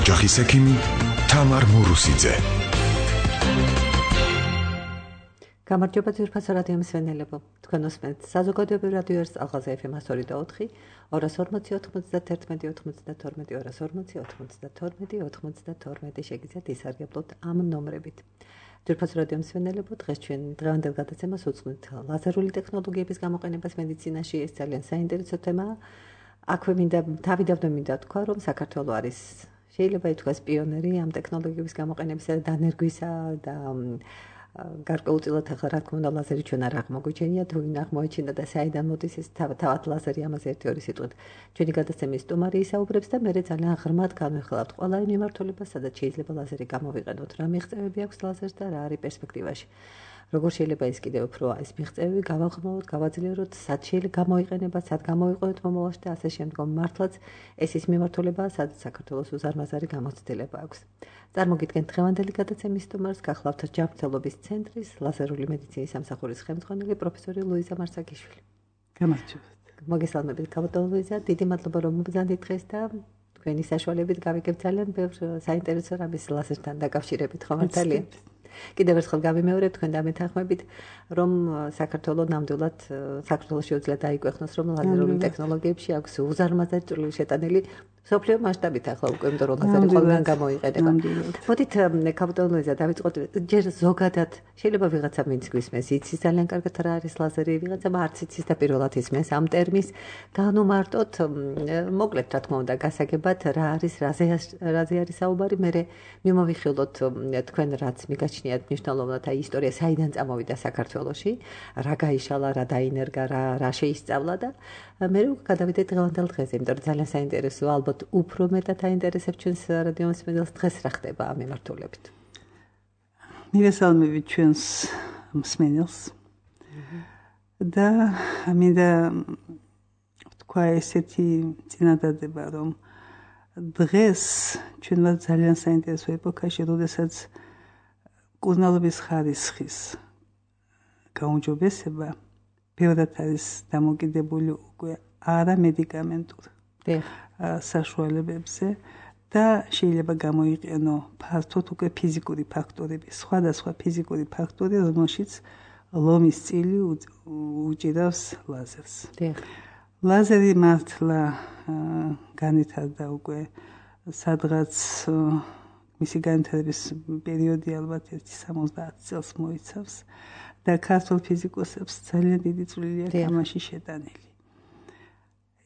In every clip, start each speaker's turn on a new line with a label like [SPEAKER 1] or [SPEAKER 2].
[SPEAKER 1] ოჯახის ექიმი თამარ მურუსიძე.
[SPEAKER 2] გამარჯობა ძვირფასო რადიო მსმენელებო. თქვენ უსმენთ საზოგადოებრივ რადიო ერს ალღაზი FM 102.4, 240-90-11-12, შეგიძლიათ ისარგებლოთ ამ ნომრებით. ძვირფასო რადიო მსმენელებო, დღეს ჩვენ დღევანდელ გადაცემას უძღვნით ლაზერული ტექნოლოგიების გამოყენებას მედიცინაში. ეს ძალიან საინტერესო თემაა. აქვე მინდა თქვა, რომ საქართველო არის შეიძლება ითქვას პიონერი ამ ტექნოლოგიების გამოყენებისა და დანერგვისა და გარკვეულწილად ახლა რა თქმა უნდა ლაზერი ჩვენ არ აღმოგვიჩენია, თუ ვინ აღმოაჩინა და საიდან მოდის ეს თავად ლაზერი, ამაზე ერთი-ორი სიტყვით ჩვენი გადაცემის სტუმარი ისაუბრებს და მე ძალიან ღრმად განვიხილავთ ყველა იმ მიმართულებას, სადაც შეიძლება ლაზერი გამოვიყენოთ, რა მიღწევები აქვს ლაზერს და რა არის პერსპექტივაში. როგორ შეიძლება ის კიდევ უფრო ეს მიღწევები გავაღრმავოთ, გავაძლიეროთ, სად შეიძლება გამოიყენება, სად გამოვიყენოთ მომავალში და ასე შემდგომ. მართლაც ეს ის მიმართულებაა, სადაც საქართველოს უზარმაზარი გამოცდილება აქვს. წარმოგიდგენთ დღევანდელი გადაცემის სტუმარს, გახლავთ ჯანმრთელობის ცენტრის ლაზერული მედიცინის სამსახურის ხელმძღვანელი პროფესორი ლუიზა მარსაკიშვილი.
[SPEAKER 3] გამარჯობათ.
[SPEAKER 2] მოგესალმებით, ქაბატონო ლუიზა, დიდი მადლობა რომ მობრძანდით დღეს და თქვენი საშუალებით გავიგებ ძალიან ბევრ საინტერესო რამის ლაზერთან დაკავშირებით, ხო მართალია? კიდევ ერთხელ გავიმეორებ თქვენ დამეთანხმებით, რომ საქართველოს ნამდვილად საქართველოს შეუძლია დაიკვეხნოს, რომ ლაზერული ტექნოლოგიებში აქვს უზარმაზარი წვლილი შეტანილი მსოფლიო მასშტაბით ახლა უკვე იმიტომ რომ ლაზერი ყველგან გამოიყენება. მოდით ქაბატონო ლუიზა დავიწყოთ ჯერ ზოგადად შეიძლება ვიღაცა ვინც გვისმენს იცის ძალიან კარგად რა არის ლაზერი, ვიღაცამ არც იცის და პირველად ისმენს ამ ტერმინს. განუმარტოთ მოკლედ რა თქმა უნდა გასაგებად რა არის რაზე არის საუბარი, მე მიმოვიხილოთ თქვენ რაც მიგაჩნიათ მნიშვნელოვნად აი ისტორია საიდან წამოვიდა საქართველოში, რა გაიშალა, რა დაინერგა, რა შეისწავლა და მე გადავიდეთ დღევანდელ დღეზე, იმიტომ რომ ძალიან საინტერესოა, ალბათ უფრო მეტად აინტერესებს ჩვენს რადიო მსმენელს დღეს რა ხდება ამ მიმართულებით.
[SPEAKER 3] მივესალმებით ჩვენს მსმენელს და მინდა თქვა ესეთი წინადადება, რომ დღეს ჩვენ ვართ ძალიან საინტერესო ეპოქაში, როდესაც კურნალობის ხარისხის გაუმჯობესება ბევრად არის დამოკიდებული უკვე არა მედიკამენტურ საშუალებებზე და შეიძლება გამოიყენო ფართოდ უკვე ფიზიკური ფაქტორები, სხვადასხვა ფიზიკური ფაქტორი, რომელშიც ლომის წილი უჭირავს ლაზერს. ლაზერი მართლა განვითარდა უკვე სადღაც მისი განვითარების პერიოდი ალბათ 70 წელს მოიცავს და ქართულ ფიზიკოსებს ძალიან დიდი წვლილი აქვს ამაში შეტანილი.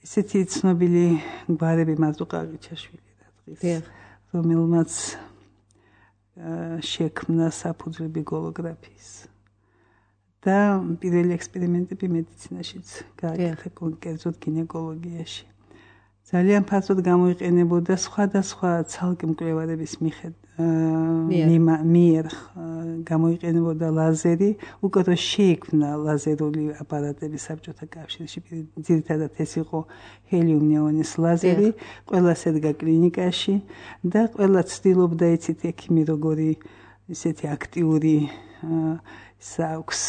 [SPEAKER 3] ესეთი ცნობილი გვარები მარტო ყაყიჩაშვილი და დღის რომელმაც შექმნა საფუძვლები გოლოგრაფიის და პირველი ექსპერიმენტები მედიცინაშიც გააკეთა, კონკრეტულად გინეკოლოგიაში. ძალიან ფართოდ გამოიყენებოდა სხვადასხვა ცალკე მკვლევარების მიერ გამოიყენებოდა ლაზერი, უკვე რომ შეიქმნა ლაზერული აპარატები საბჭოთა კავშირში, ძირითადად ეს იყო ჰელიუმ-ნეონის ლაზერი, ყველა შედგა კლინიკაში და ყველა ცდილობდა იცით ექიმი როგორი ისეთი აქტიური აქვს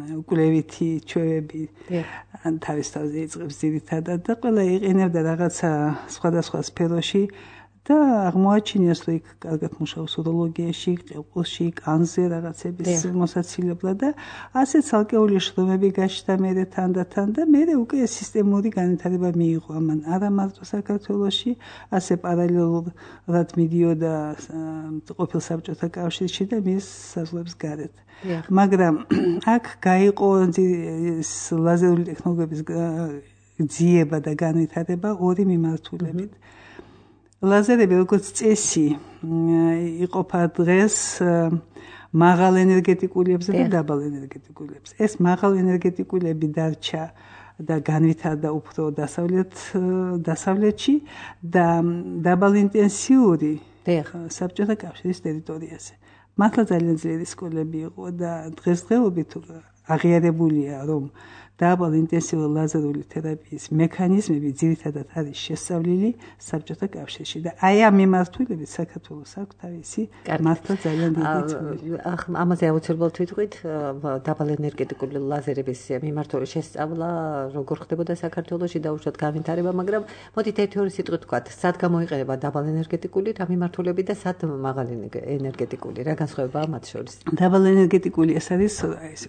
[SPEAKER 3] უკვლევითი ჩვევები თავის თავზე იწყებს ძირითადად და ყველა იყენებდა რაღაცა სხვადასხვა სფეროში და აღმოაჩინეს რომ იქ კარგად მუშაობს უროლოგიაში, ყელყულში, კანზე რაღაცების მოსაცილებლად და ასე ცალკეული შრომები გაჩნდა მერე თან და მერე უკვე სისტემური განვითარება მიიღო ამან არა მარტო საქართველოში, ასე პარალელურად მიდიოდა ყოფილ საბჭოთა კავშირში და მის საზღვრებს გარეთ. მაგრამ აქ გაიყო ლაზერული ტექნოლოგიების ძიება და განვითარება ორი მიმართულებით. ლაზერები როგორც წესი იყოფა დღეს მაღალ ენერგეტიკულებზე და დაბალ ენერგეტიკულებზე. ეს მაღალ ენერგეტიკულები დარჩა და განვითარდა უფრო დასავლეთში და დაბალ ინტენსიური საბჭოთა კავშირის ტერიტორიაზე. მართლა ძალიან ძლიერი სკოლები იყო და დღესდღეობით აღიარებულია, რომ დაბალ ინტენსიური ლაზერული თერაპიის მექანიზმები ძირითადად არის შესწავლილი საბჭოთა კავშირში და აი ამ მიმართულებით საქართველოს აქვს თავისი მართლა ძალიან დიდი წვლილი.
[SPEAKER 2] ამაზე აუცილებლად ვიტყვით დაბალ ენერგეტიკული ლაზერების მიმართული შესწავლა როგორ ხდებოდა საქართველოში და უშუალოდ განვითარება, მაგრამ მოდით ერთი-ორი სიტყვით ვთქვათ, სად გამოიყენება დაბალ ენერგეტიკული რა მიმართულებით და სად მაღალი ენერგეტიკული, რა განსხვავებაა მათ შორის?
[SPEAKER 3] დაბალ ენერგეტიკული ეს არის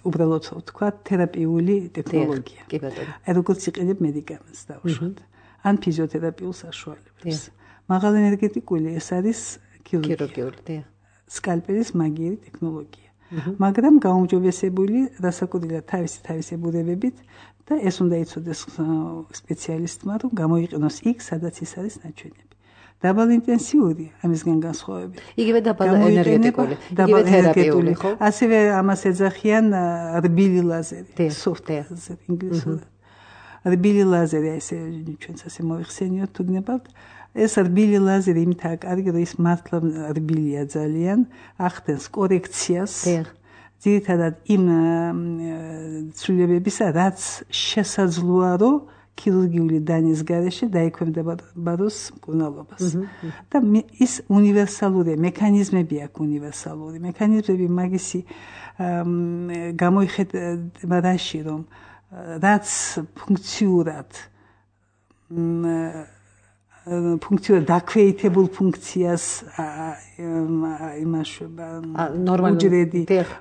[SPEAKER 3] უბრალოდ ვთქვათ თერაპიული ტექნოლოგია.
[SPEAKER 2] კი ბატონო.
[SPEAKER 3] როგორც იყენებ მედიკამენტს დაუშვათ. ან ფიზიოთერაპიულ საშუალებებს. მაღალ ენერგეტიკული ეს არის
[SPEAKER 2] ქირურგიული,
[SPEAKER 3] სკალპელის მაგიერი ტექნოლოგია. მაგრამ გაუმჯობესებული რასაკვირველია თავისი ბუნებებით და ეს უნდა იცოდეს სპეციალისტმა, რომ გამოიყენოს იქ, სადაც ის არის ნაჩვენები. დაბალ ინტენსიური ამისგან განსხვავებით.
[SPEAKER 2] იგივე დაბალ ენერგეტიკული, იგივე თერაპიული, ხო?
[SPEAKER 3] ასევე ამას ეძახიან რბილი ლაზერი, soft laser ინგლისურად. რბილი ლაზერი ესე ჩვენც ასე მოიხსენიოთ თუ გნებავთ. ეს რბილი ლაზერი იმითაა კარგი, რომ ის მართლა რბილია ძალიან, ახდენს კორექციას. ძირითადად იმ ცვლილებებისა, რაც შესაძლოა, რომ ქირურგიული დანის გარეშე დაექვემდებაროს მკურნალობას. და ის უნივერსალურია, მექანიზმები აქვს უნივერსალური. მექანიზმები მაგისი გამოიხედება რაში, რომ რაც ფუნქციურად დაქვეითებულ ფუნქციას იმაშვება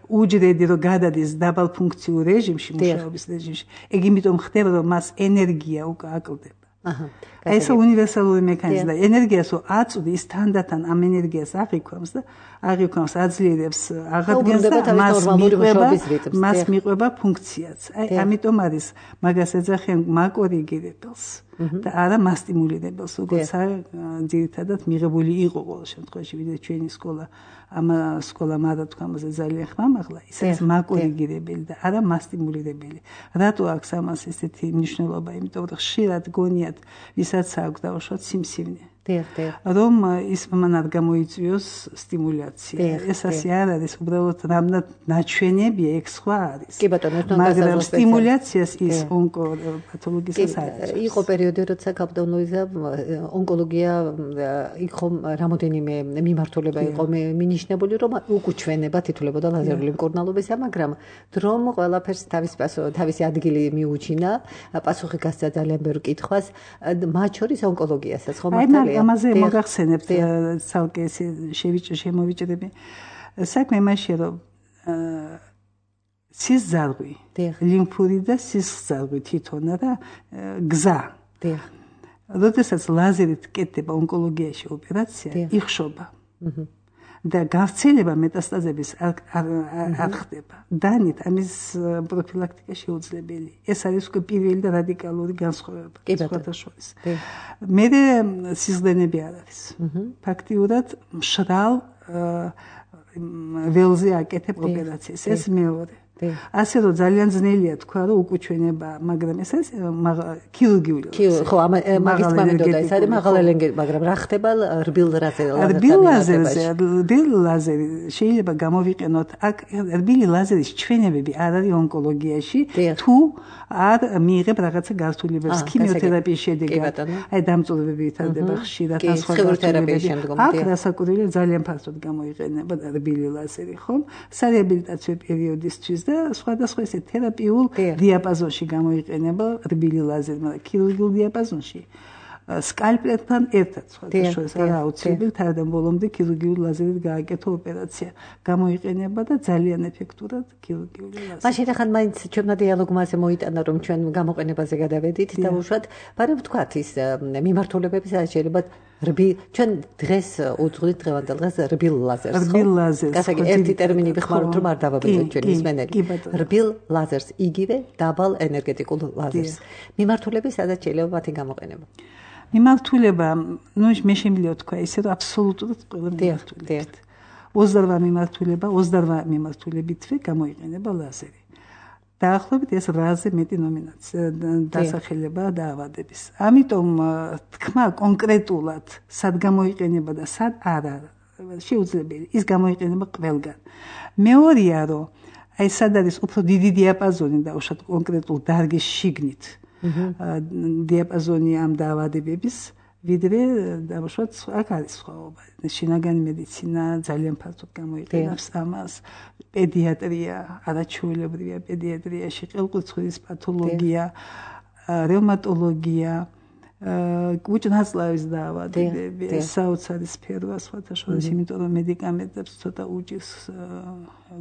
[SPEAKER 3] უჯრედი რომ გადადის დაბალ ფუნქციურ რეჟიმში, მუშაობის რეჟიმში, ეგ იმიტომ ხდება, რომ მას ენერგია უკვე აკლდება. ეს უნივერსალური მექანიზმი და ენერგიას აწვდი ის თანდათან ამ ენერგიას აღიქვამს აძლიერებს აღადგენს და მას მიყვება ფუნქციაც. აი ამიტომ არის მაგას ეძახიან მაკორიგირებელს და არა მასტიმულირებელს, როგორც ძირითადად მიღებული იყო ყოველ შემთხვევაში, ვიდრე ჩვენი სკოლა მარა თქვამაზე ძალიან ხმამაღლა, ის არის მაკორიგირებელი და არა მასტიმულირებელი. რატო აქვს ამას ესეთი მნიშვნელობა? იმიტომ რომ ხშირად გონიათ ვისაც აქვს დაუშვათ სიმსივნე. რომ ის მან არ გამოიწვიოს სტიმულაცია. ეს ასე არ არის, უბრალოდ რამნად ნაჩვენებია, ეგ სხვა არის.
[SPEAKER 2] კი ბატონო,
[SPEAKER 3] მაგრამ სტიმულაციას ის ონკოპათოლოგიას არის.
[SPEAKER 2] იყო პერიოდი, როცა კაპიტან ლუიზა ონკოლოგია იყო რამოდენიმე მიმართულება იყო მინიშნებული, რომ უკუჩვენება თითოლებოდა ლაზერული მკურნალობისა, მაგრამ დრომ ყველაფერს თავისი ადგილი მიუჩინა, პასუხი გასცა ძალიან ბევრ კითხვას, მათ შორის ონკოლოგიასაც, ხო მართალია?
[SPEAKER 3] ამაზე მოგახსენებთ ცალკე შემოვიჭრები. საქმე იმაშია, რომ სისძარღვი, ლიმფური და სისხლძარღვი თვითონ რა გზა. როდესაც ლაზერით კეთდება ონკოლოგიაში ოპერაცია, იხშობა. და გავრცელება მეტასტაზების არ ხდება. დანით ამის პროფილაქტიკა შეუძლებელი. ეს არის უკვე პირველი და რადიკალური განსხვავება სხვათა შორის. მე სისხლდენები არ არის. ფაქტიურად მშრალ ველზე აკეთებ ოპერაციას. ეს მეორე. ასე რომ ძალიან ძნელია თქვა, რომ უკუჩვენება, მაგრამ ეს არის ქირურგიული.
[SPEAKER 2] ხო, მაგის მომენტია, ეს არის მაღალ ენერგეტიკული, მაგრამ რა ხდება რბილ
[SPEAKER 3] ლაზერი შეიძლება გამოვიყენოთ აქ რბილი ლაზერის ჩვენებები არ არის ონკოლოგიაში, თუ არ მიიღებ რაღაცა გართულებებს ქიმიოთერაპიის შედეგად. აი დამწუხრებები ვითარდება ხშირად სხვა
[SPEAKER 2] თერაპიის შემდგომ.
[SPEAKER 3] აქ რასაკვირველია ძალიან ფართოდ გამოიყენება რბილი ლაზერი, ხო? სარეაბილიტაციო პერიოდისთვის და სხვადასხვა ესე თერაპიულ დიაპაზონში გამოიყენება რბილი ლაზერი, მაგრამ ქირურგიულ დიაპაზონში სკალპელებთან ერთად სხვადასხვა არა აუცილებელი თავიდან ბოლომდე ქირურგიული ლაზერით გააკეთო ოპერაცია გამოიყენება და ძალიან ეფექტურად ქირურგიული ლაზერი.
[SPEAKER 2] მაშინ ახლა მაინც ჩვენმა დიალოგმა ასე მოიტანა, რომ ჩვენ გამოყენებაზე გადავედით და უშუალოდ მაგრამ ვთქვათ ის მიმართულებები შეიძლება ჩვენ დღეს უძღვით დღევანდელ დღეს რბილ ლაზერს.
[SPEAKER 3] რბილ ლაზერს.
[SPEAKER 2] გასაგე ერთი ტერმინი ვიხმაროთ, რომ არ დავაბეჭდოთ ჩვენი მსმენელი. რბილ ლაზერს, იგივე დაბალ ენერგეტიკულ ლაზერს. მიმართულები სადაც შეიძლება მათი გამოყენება.
[SPEAKER 3] მიმართულება, მე შემიძლია თქვა ისე, რომ აბსოლუტურად ყველა მიმართულებით. 28 მიმართულებითვე გამოიყენება ლაზერი. დაახლოებით ეს 8-ზე მეტი ნომინაცია დასახელება დაავადების. ამიტომ თქმა კონკრეტულად სად გამოიყენება და სად არა შეუძლებელი. ის გამოიყენება ყველგან. მეორეა, რომ აი სად არის უფრო დიდი დიაპაზონი დაუშვათ კონკრეტულ დარგის შიგნით დიაპაზონი ამ დაავადებების ვიდრე დაუშვათ აქ არის სხვაობა შინაგანი მედიცინა ძალიან ფართოდ გამოიყენებს ამას პედიატრია არაჩვეულებრივია პედიატრიაში ყელყურძღვრის პათოლოგია რევმატოლოგია კუჭნაწლავის დაავადებები საოცარი სფეროა სხვათა შორის იმიტომ რომ მედიკამენტებს ცოტა უჭირს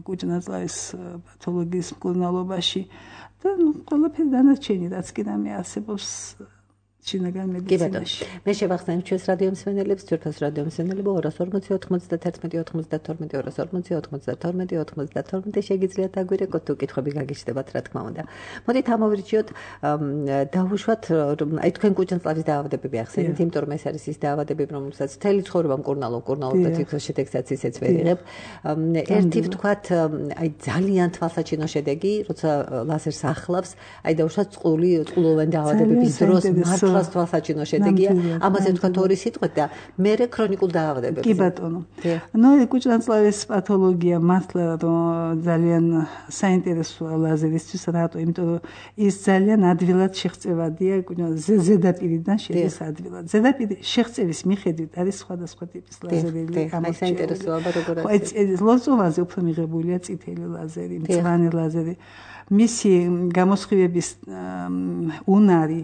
[SPEAKER 3] კუჭნაწლავის პათოლოგიის მკურნალობაში და ყველაფერი დანარჩენი რაც კი რამე არსებობს შინაგან მედიცინაში.
[SPEAKER 2] მე შევახსენებ ჩვენს რადიო მსმენელებს, ძვირფას რადიო მსმენელებო 240 91 92 240 92 შეგიძლიათ აგვირეკოთ თუ კითხვები გაგიჩნდებათ რა თქმა უნდა. მოდით ამოვირჩიოთ დავუშვათ აი თქვენ კუჭნაწლავის დაავადებები ახსენეთ, იმიტომ რომ ეს არის ის დაავადებები, რომელსაც მთელი ცხოვრება მკურნალობ და თითქოს შედეგსაც ისეც ვერ იღებ. ერთი ვთქვათ აი ძალიან თვალსაჩინო შედეგი, როცა ლაზერს ახლავს, აი დავუშვათ წყლოვანი დაავადებების დროს მართლაც თვალსაჩინო შედეგია. ამაზე ვთქვათ ორი სიტყვით და მერე ქრონიკულ დაავადებებზე.
[SPEAKER 3] კი ბატონო. ნუ კუჭნაწლავის პათოლოგია მართლა ძალიან საინტერესოა ლაზერისთვის, რატო? იმიტომ რომ ის ძალიან ადვილად შეღწევადია ზედაპირიდან შედის ადვილად. ზედაპირი შეღწევის მიხედვით არის სხვადასხვა ტიპის ლაზერები.
[SPEAKER 2] ამას საინტერესოა როგორ
[SPEAKER 3] არის. ლორწოვანზე უფრო მიღებულია წითელი ლაზერი, მწვანე ლაზერი. მისი გამოსხივების უნარი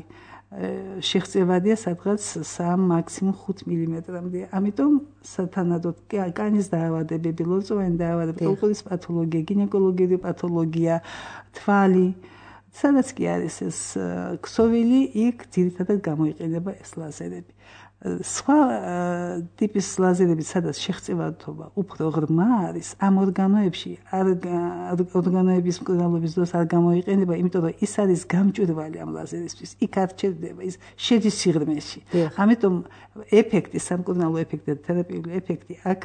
[SPEAKER 3] შეღწევადია სადღაც 3 მაქსიმუმ 5 მმ-მდე. ამიტომ სათანადოდ კანის დაავადებები, ლორწოვანი დაავადებები, ყელყურძის პათოლოგია, გინეკოლოგიური პათოლოგია, თვალი, სადაც კი არის ეს ქსოვილი, იქ ძირითადად გამოიყენება ეს ლაზერები. სხვა ტიპის ლაზერები, სადაც შეღწევადობა უფრო ღრმა არის, ამ ორგანოებში ორგანოების მკურნალობის დროს არ გამოიყენება, იმიტომ რომ ის არის გამჭვირვალე ამ ლაზერისთვის. იქ არ ჩერდება, ის შედის სიღრმეში. ამიტომ ეფექტი, სამკურნალო ეფექტი და თერაპიული ეფექტი აქ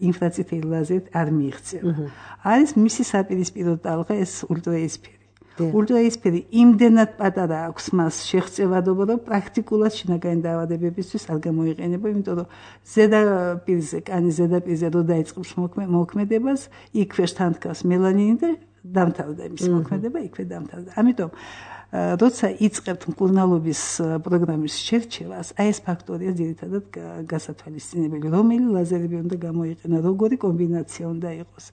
[SPEAKER 3] ინფრაწითელი ლაზერით არ მიიღწევა. არის მისი საპირისპირო ტალღა ეს ულტრაისფერი. ულტრაისფერი იმდენად პატარა აქვს მას შეღწევადობა, რომ პრაქტიკულად შინაგანი დაავადებებისთვის არ გამოიყენება, იმიტომ რომ ზედაპირზე, კანის ზედაპირზე რო დაიწყებს მოქმედებას, იქვე თანთქავს მელანინი და დამთავრდა იმის მოქმედება, იქვე დამთავრდა. ამიტომ როცა იწყებთ მკურნალობის პროგრამის შერჩევას, აი ეს ფაქტორია ძირითადად გასათვალისწინებელი, რომელი ლაზერები უნდა გამოიყენა, როგორი კომბინაცია უნდა იყოს.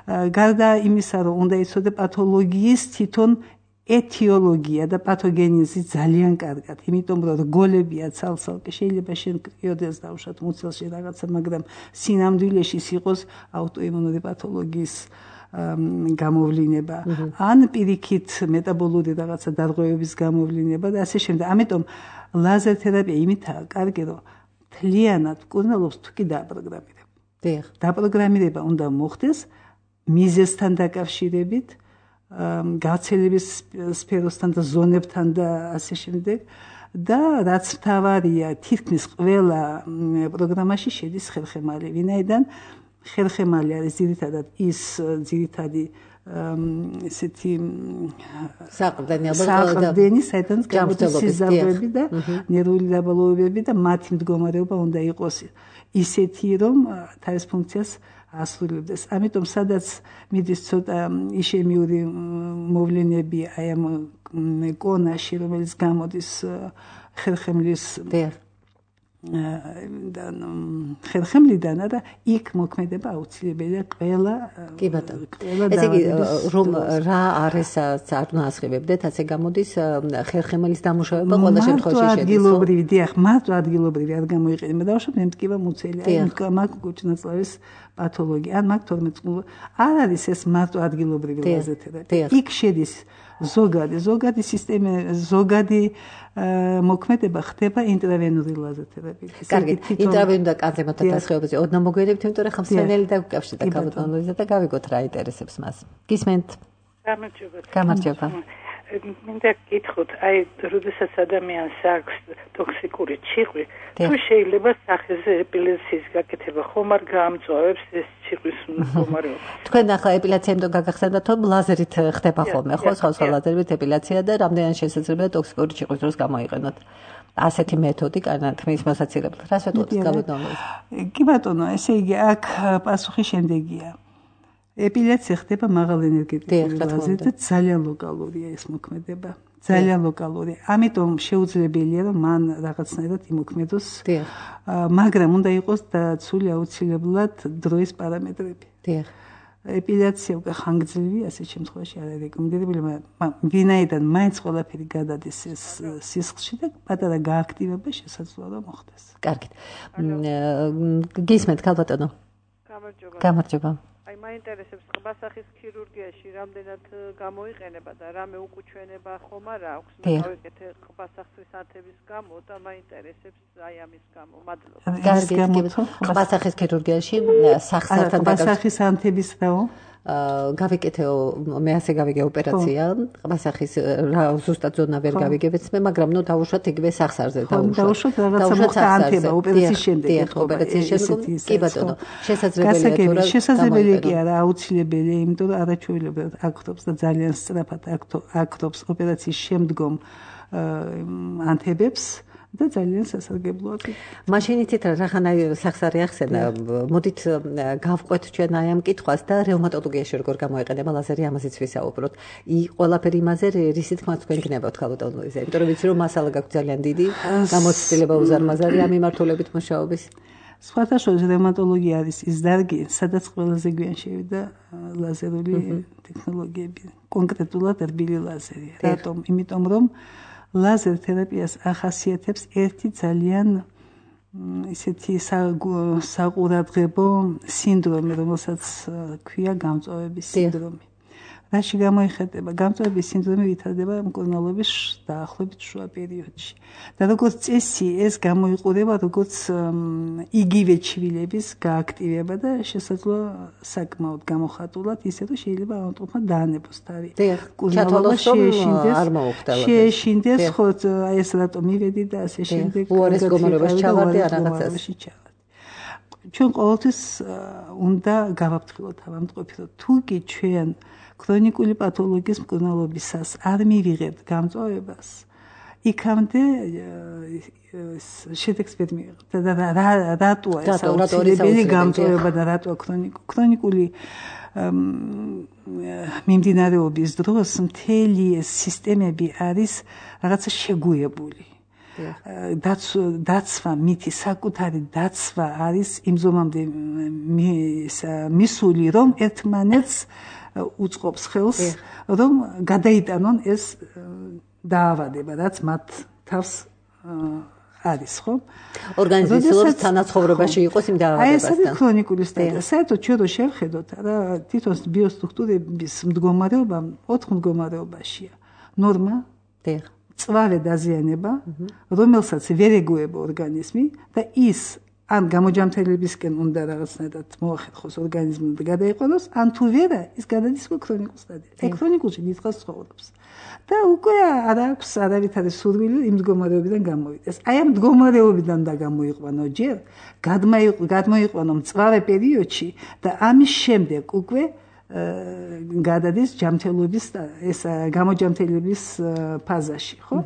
[SPEAKER 3] გარდა იმისა, რომ უნდა იცოდე პათოლოგიის თვითონ ეთიოლოგია და პათოგენეზი ძალიან კარგად, იმიტომ რომ რგოლებია ცალ-ცალკე, შეიძლება შენ კრიოდეს დავუშვათ მუცელში რაღაცა, მაგრამ სინამდვილეში იყოს აუტოიმუნური პათოლოგიის გამოვლინება, ან პირიქით მეტაბოლური რაღაცა დარღვევების გამოვლინება და ასე შემდეგ. ამიტომ ლაზერ თერაპია იმითაა კარგი, რომ მთლიანად მკურნალობს თუ კი დააპროგრამირებ. დაპროგრამირება უნდა მოხდეს მიზეზთან დაკავშირებით, გავრცელების სფეროსთან და ზონებთან და ასე შემდეგ და რაც მთავარია, თითქმის ყველა პროგრამაში შედის ხერხემალი, ვინაიდან ხერხემალი არის ძირითადად ის ძირითადი ესეთი საყრდენი, საიდანაც გამოდის სიზარდები და ნერვული დაბალობები და მათი მდგომარეობა უნდა იყოს ისეთი, რომ თავის ფუნქციას ასრულებდეს. ამიტომ სადაც მიდის ცოტა იშემიური მოვლენები აი ამ კონაში, რომელიც გამოდის ხერხემლის ხერხემლიდან და იქ მოქმედება აუცილებელია ყველა.
[SPEAKER 2] კი ბატონო. ესე იგი რომ რა არის არ უნდა ასხივებდეთ, ასე გამოდის ხერხემლის დამუშავება ყველა შემთხვევაში შედის.
[SPEAKER 3] ადგილობრივი, დიახ, მარტო ადგილობრივი არ გამოიყენება. დავუშვათ მემტკივა მუცელი, აი მაგ კუჭნაწლავის პათოლოგია, ან მაგ 12 წლ. არ არის ეს მარტო ადგილობრივი ლაზერ თერაპია. იქ შედის ზოგადი სისტემა, ზოგადი მოქმედება ხდება ინტრავენური ლაზერ თერაპიით.
[SPEAKER 2] კარგი, ინტრავენური და კანცერთან დასხივებაზე ოდნა მოგვიანებით, იმიტომ რომ ხმსენელი დაგუკავშირდა კაბოტონოზე და გავიგოთ რა ინტერესებს მას. გისმენთ? გამარჯობა.
[SPEAKER 4] მინდა გითხოთ, აი, როდესაც ადამიანს აქვს ტოქსიკური ჭიხვი, თუ შეიძლება სახეზე ეპილეციის გაკეთება ხომ არ გაამწვავებს ეს ჭიხვის მდგომარეობა?
[SPEAKER 2] თქვენ ახლა ეპილაცია იმიტომ გაგახსენდათ, რომ ლაზერით ხდება ხოლმე, ხო, სხვა ლაზერით ეპილაცია და რამდენად შესაძლებელია ტოქსიკური ჭიხვის დროს გამოიყენოთ. ასეთი მეთოდი კანათმის მოსაცილებლად. რას ვეტყოდით კაბოტონოზე?
[SPEAKER 3] კი ბატონო, ესე იგი აქ პასუხი შემდეგია. ეპილაცია ხდება მაღალ ენერგეტიკული ლაზერით და ძალიან ლოკალურია ეს მოქმედება. ძალიან ლოკალური. ამიტომ შეუძლებელია რომ მან რაღაცნაირად იმოქმედოს. მაგრამ უნდა იყოს დაცული აუცილებლად დროის პარამეტრები. ეპილაცია უკვე ხანგრძლივი ასეთ შემთხვევაში არ არის რეკომენდებული, მაგრამ ვინაიდან მაინც ყველაფერი გადადის ეს სისხლში და პატარა გააქტივება შესაძლოა რომ მოხდეს.
[SPEAKER 2] კარგით. გისმენთ ქალბატონო. გამარჯობა.
[SPEAKER 5] აი მაინტერესებს ყბასახის ქირურგიაში რამდენად გამოიყენება და რამე უკუჩვენება ხომ არ აქვს? მე გავიკეთე ყბასახის ანთების გამო და მაინტერესებს აი ამის გამო. მადლობა.
[SPEAKER 2] კარგით, ყბასახის ქირურგიაში სახსართან
[SPEAKER 3] ყბასახის ანთების რაო?
[SPEAKER 2] გავიკეთე მე ასე გავიგე ოპერაცია ყბასახის ზუსტად ზონა ვერ გავიგებიც მე მაგრამ ნუ დავუშვათ იგივე სახსარზე
[SPEAKER 3] დავუშვათ რაღაცა მოხდა ანთება ოპერაციის შემდეგ
[SPEAKER 2] ოპერაციის შემდეგ კი ბატონო შესაძლებელია
[SPEAKER 3] შესაძლებელი კი არა აუცილებელია იმიტომ რომ არაჩვეულებრივად აქტობს და ძალიან სწრაფად აქტობს ოპერაციის შემდგომ ანთებებს და ძალიან სასარგებლოა.
[SPEAKER 2] მაშინ იცით რახანა სახსარი ახსენა, მოდით გავყვეთ ჩვენ აი ამ კითხვას და რევმატოლოგიაში როგორ გამოიყენება ლაზერი ამაზეც ვისაუბროთ. ყველაფერი იმაზე რისი თქმა თქვენ გნებავთ ხალხოთოლოგიაზე, იმიტომ რომ ვიცი რომ მასალა გაქვთ ძალიან დიდი, გამოცდილება უზარმაზარი ამ მიმართულებით მუშაობის.
[SPEAKER 3] სხვათა შორის რევმატოლოგია არის ის დარგი, სადაც ყველაზე გვიან შევიდა ლაზერული ტექნოლოგიები, კონკრეტულად რბილი ლაზერი. რატომ? იმიტომ რომ ლაზერ თერაპიას ახასიათებს ერთი ძალიან ისეთი საყურადღებო სინდრომი, რომელსაც ქვია გამწვავების სინდრომი. რაში გამოიხატება? გამწვავების სინდრომი ვითარდება მკურნალობის დაახლოებით შუა პერიოდში. და როგორც წესი, ეს გამოიყურება როგორც იგივე ჩვილების გააქტივება და შესაძლოა საკმაოდ გამოხატულად, ისე რომ შეიძლება ავტომატურად დაანებოს თავი.
[SPEAKER 2] მკურნალობა
[SPEAKER 3] შეეშინდეს, ხო, აი ეს რატომ მივედი და ასე შემდეგ.
[SPEAKER 2] უარეს გომარობაში ჩავარდი ან რაღაცას.
[SPEAKER 3] ჩვენ ყოველთვის უნდა გავაფრთხილოთ ავადმყოფი, რომ თუ კი ჩვენ ქრონიკული პათოლოგიის მკურნალობისას არ მივიღებთ გამწვავებას, იქამდე შედეგს ვერ მივიღებთ. და რატოა ეს აუცილებელი გამწვავება და რატოა ქრონიკული მიმდინარეობის დროს მთელი ეს სისტემები არის რაღაცა შეგუებული. დაცვა მითი საკუთარი დაცვა არის იმ ზომამდე მისული რომ ერთმანეთს უწყობს ხელს რომ გადაიტანონ ეს დაავადება რაც მათ თავს არის ხო
[SPEAKER 2] ორგანიზმის თანაცხოვრებაში იყოს იმ დაავადებასთან.
[SPEAKER 3] აი ეს ქრონიკული სტადია. საერთოდ ჩვენ რო შევხედოთ რა თვითონ ბიოსტრუქტურების მდგომარეობა 4 მდგომარეობაშია. ნორმა წვავე დაზიანება, რომელსაც ვერ ეგუება ორგანიზმი და ის ან გამოჯამთრებისკენ უნდა რაღაცნაირად მოახერხოს ორგანიზმი და გადაიყვანოს, ან თუ ვერა, ის გადადის ქრონიკულ სტადიაზე. და ქრონიკულში დიდხანს ცხოვრობს. და უკვე არ აქვს არავითარი სურვილი იმ მდგომარეობიდან გამოვიდეს. აი ამ მდგომარეობიდან და გამოიყვანო ჯერ, გადმოიყვანო მწვავე პერიოდში და ამის შემდეგ უკვე გადადის ჯამთელობის ეს გამოჯამთელების ფაზაში, ხო?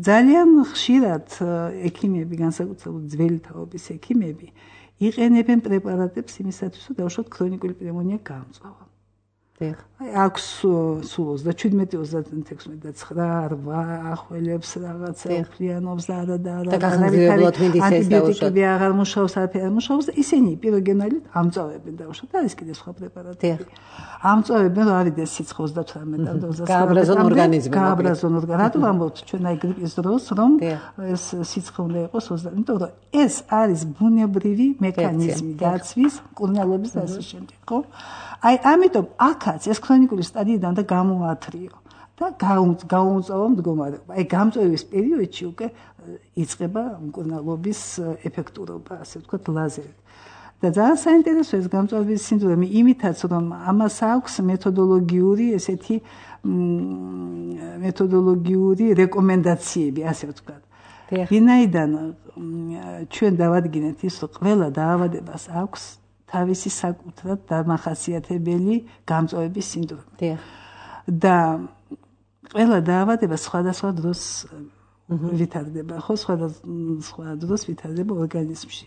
[SPEAKER 3] ძალიან ხშირად ექიმები, განსაკუთრებით ძველი თაობის ექიმები, იყენებენ პრეპარატებს იმისათვის, რომ დაუშვათ ქრონიკული პნევმონია გაამწვავა. აი აქვს სულ 37, 36 და 9, 8 ახველებს რაღაცა უფლიანობს და
[SPEAKER 2] გახსნილებლად მინდის ეს დაუშვათ.
[SPEAKER 3] ანტიბიოტიკები აღარ მუშაობს, არაფერი არ მუშაობს და ისინი პიროგენალით ამწვავებენ დაუშვათ. არის კიდე სხვა პრეპარატები. ამწვავებენ რომ ავიდეს სიცხე 38 და 29.
[SPEAKER 2] გააბრაზონ ორგანიზმი.
[SPEAKER 3] გააბრაზონ ორგანიზმი. რატომ ამბობთ ჩვენ აი გრიპის დროს რომ ეს სიცხე უნდა იყოს 20, იმიტომ რომ ეს არის ბუნებრივი მექანიზმი დაცვის, მკურნალობის და ასე შემდეგ, ხო? აი ამიტომ აქაც ეს ქრონიკული სტადიიდან და გამოათრიო და გაუმწვავა მდგომარეობა. აი გამწვევის პერიოდში უკვე იწყება მკურნალობის ეფექტურობა, ასე ვთქვათ, ლაზერით. და ძალიან საინტერესო ეს გამწვავის სინდრომი იმითაც, რომ ამას აქვს მეთოდოლოგიური ესეთი მეთოდოლოგიური რეკომენდაციები, ასე ვთქვათ. ვინაიდან ჩვენ დავადგინეთ ის, რომ ყველა დაავადებას აქვს თავისი საკუთრად დამახასიათებელი გამწვავების სინდრომი. და ყველა დაავადება სხვადასხვა დროს ვითარდება ხო სხვა დროს ვითარდება ორგანიზმში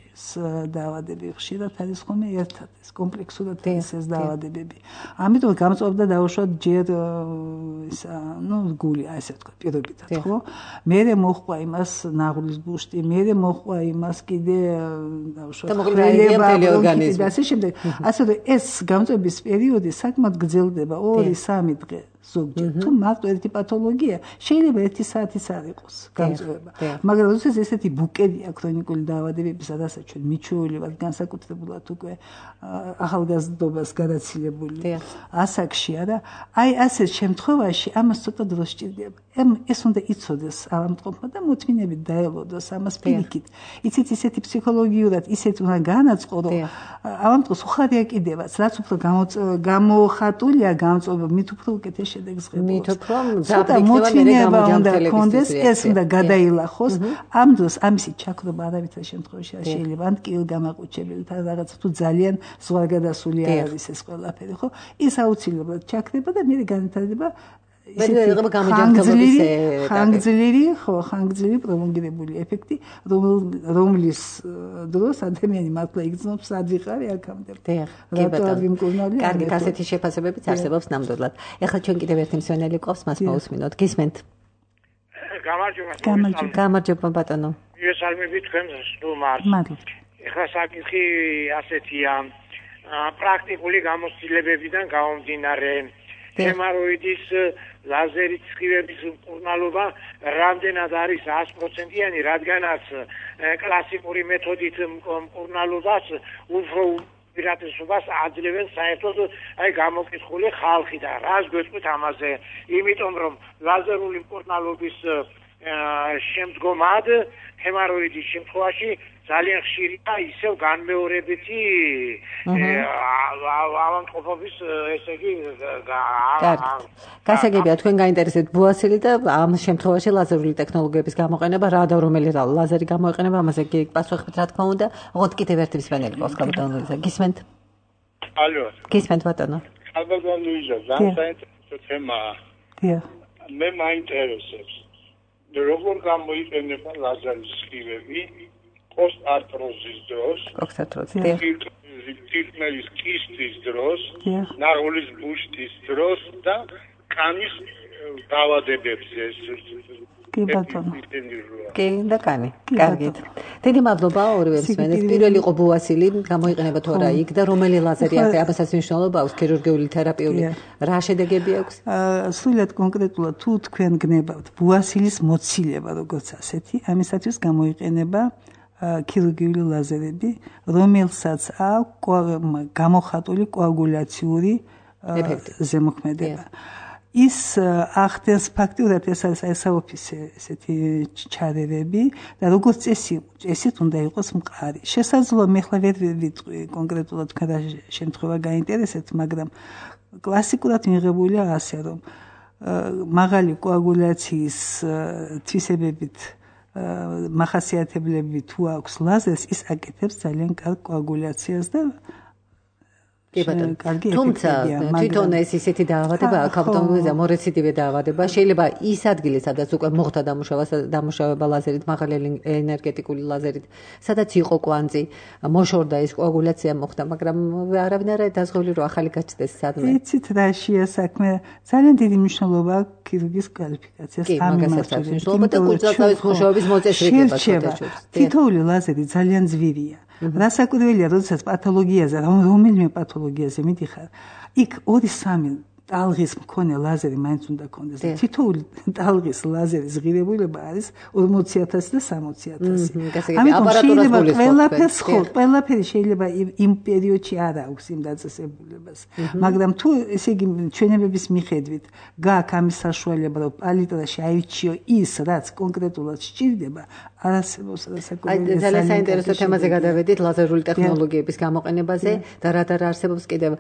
[SPEAKER 3] დაავადები ხშირად არის ხოლმე ერთად ეს კომპლექსურად ეს დაავადებები ამიტომ გამწვავდა დაუშვათ ჯერ ისა გული ასე თქვა პირობითად ხო მერე მოხვა იმას ნაღლის ბუშტი მერე მოხვა იმას კიდე დაუშვათ ორგანიზმი ასე შემდეგ ასე რომ ეს გამწვების პერიოდი საკმაოდ გრძელდება 2-3 დღე ზოგჯერ თუ მარტო ერთი პათოლოგია შეიძლება 1 საათიც არ იყოს გამწვევა მაგრამ როდესაც ესეთი ბუკეტია ქრონიკული დაავადებების სადაც ჩვენ მიჩვეული ვართ განსაკუთრებულად უკვე ახალგაზრდობას გადაცილებული ასაკში არა აი ასეთ შემთხვევაში ამას ცოტა დრო სჭირდება ეს უნდა იცოდეს ავადმყოფმა და მოთმინებით დაელოდოს ამას პირიქით იცით ისეთი ფსიქოლოგიურად ისეთ უნდა განაწყო რომ ავადმყოფს უხარია კიდევაც რაც უფრო გამოხატულია გამწვევა მით უფრო უკეთეს შედეგს ღებულობს მით უფრო მოთმინება უნდა კონდეს ეს უნდა გადაილახოს ამ დროს ამისი ჩაქრობა არავითარ შემთხვევაში არ შეიძლება ან კილგამაყუჩებელი და რაღაც თუ ძალიან ზღვარგადასული არ არის ეს ყველაფერი ხო ის აუცილებლად ჩაქრება და მე განვითარდება ხანგრძლივი პროლონგირებული ეფექტი რომლის დროს ადამიანი მართლა იგრძნობს სად ვიყავი აქამდე რატო არ ვიმკურნავდი
[SPEAKER 2] კარგით ასეთი შეფასებებიც არსებობს ნამდვილად ეხლა ჩვენ კიდევ ერთი მსმენელი გვყავს მას მოусმინოთ გისმენთ გამარჯობა ბატონო
[SPEAKER 6] მოგესალმებით თქვენს სტუმარს ეხლა საკითხი ასეთია პრაქტიკული გამოცდილებებიდან გამომდინარე ჰემოროიდის ლაზერით სხივების მკურნალობა რამდენად არის 100%-იანი, რადგანაც კლასიკური მეთოდით მკურნალობას უფრო პირატესობას აძლევენ საერთოდ აი გამოკითხული ხალხი და რას გვეტყვით ამაზე, იმიტომ რომ ლაზერული მკურნალობის შემდგომად ჰემოროიდის შემთხვევაში ძალიან ხშირია ისევ განმეორებითი ავადმყოფობის ესე იგი
[SPEAKER 2] გასაგებია თქვენ გაინტერესებთ ბუასილი და ამ შემთხვევაში ლაზერული ტექნოლოგიების გამოყენება რა და რომელი ლაზერი გამოიყენება ამაზე პასუხით რა თქმა უნდა ოღონდ კიდევ ერთი მსმენელი ყავს კაპიტან ლუიზა გისმენთ
[SPEAKER 6] ალო
[SPEAKER 2] გისმენთ ბატონო
[SPEAKER 6] კაპიტან ლუიზა საინტერესო თემაა მე მაინტერესებს როგორ გამოიყენება ლაზერის სხივები პოსტ-არტროზის დროს, თირკმელის კისტის დროს, ნაღლის ბუშტის დროს და კანის დაავადებებზე.
[SPEAKER 3] კი ბატონო.
[SPEAKER 2] კი და კანი. კარგით. დიდი მადლობა ორივე მსმენელს. პირველი იყო ბუასილი, გამოიყენება თუ არა იქ და რომელი ლაზერი აქვს, ამასაც მნიშვნელობა აქვს ქირურგიული თერაპიული. რა შედეგები აქვს?
[SPEAKER 3] სულად კონკრეტულად თუ თქვენ გნებავთ ბუასილის მოცილება როგორც ასეთი, ამისათვის გამოიყენება ქირურგიული ლაზერები, რომელსაც აქვს გამოხატული კოაგულაციური ზემოქმედება. ის ახდენს ფაქტიურად ეს არის ესაოფისი ესეთი ჩარევები და როგორც წესით უნდა იყოს მყარი. შესაძლოა მე ხლა ვერ ვიტყვი კონკრეტულად თქვენ რა შემთხვევა გაინტერესებთ, მაგრამ კლასიკურად მიღებულია ასე რომ მაღალი კოაგულაციის თვისებებით მახასიათებლები თუ აქვს ლაზერს, ის აკეთებს ძალიან კარგ კოაგულაციას და
[SPEAKER 2] კი ბატონო. თუმცა თვითონ ეს ისეთი დაავადება, კაპიტალიზმი მორეციდივე დაავადება, შეიძლება ის ადგილი, სადაც უკვე მოხდა დამუშავება ლაზერით, მაღალი ენერგეტიკული ლაზერით, სადაც იყო კვანძი, მოშორდა ეს კოაგულაცია მოხდა, მაგრამ არავინ არ არის დაზღვეული, რომ ახალი გაჩნდეს სადმე.
[SPEAKER 3] იცით რაშია საქმე? ძალიან დიდი მნიშვნელობა აქვს ქირურგის კვალიფიკაციას.
[SPEAKER 2] კი, მაგასაც აქვს მნიშვნელობა და კურსდამთავრის მუშაობის მოწესრიგება შეთანხმებას.
[SPEAKER 3] თითოეული ლაზერი ძალიან ძვირია. რასაკვირველია, როდესაც პათოლოგიაზე, რომელიმე პათოლოგიაზე მიდიხარ, იქ 2-3 ტალღის მქონე ლაზერი მაინც უნდა კონდეს. თითოეული ტალღის ლაზერის ღირებულება არის 40,000 და 60,000. ამიტომ შეიძლება ყველაფერი შეიძლება იმ პერიოდში არ აქვს იმ დაწესებულებას. მაგრამ თუ ესე იგი ჩვენებების მიხედვით გაქვს ამის საშუალება, რომ პალიტრაში აირჩიო ის, რაც კონკრეტულად სჭირდება, არასებობს რასაკვირველია.
[SPEAKER 2] ძალიან საინტერესო თემაზე გადავედით ლაზერული ტექნოლოგიების გამოყენებაზე და რა არსებობს კიდევ,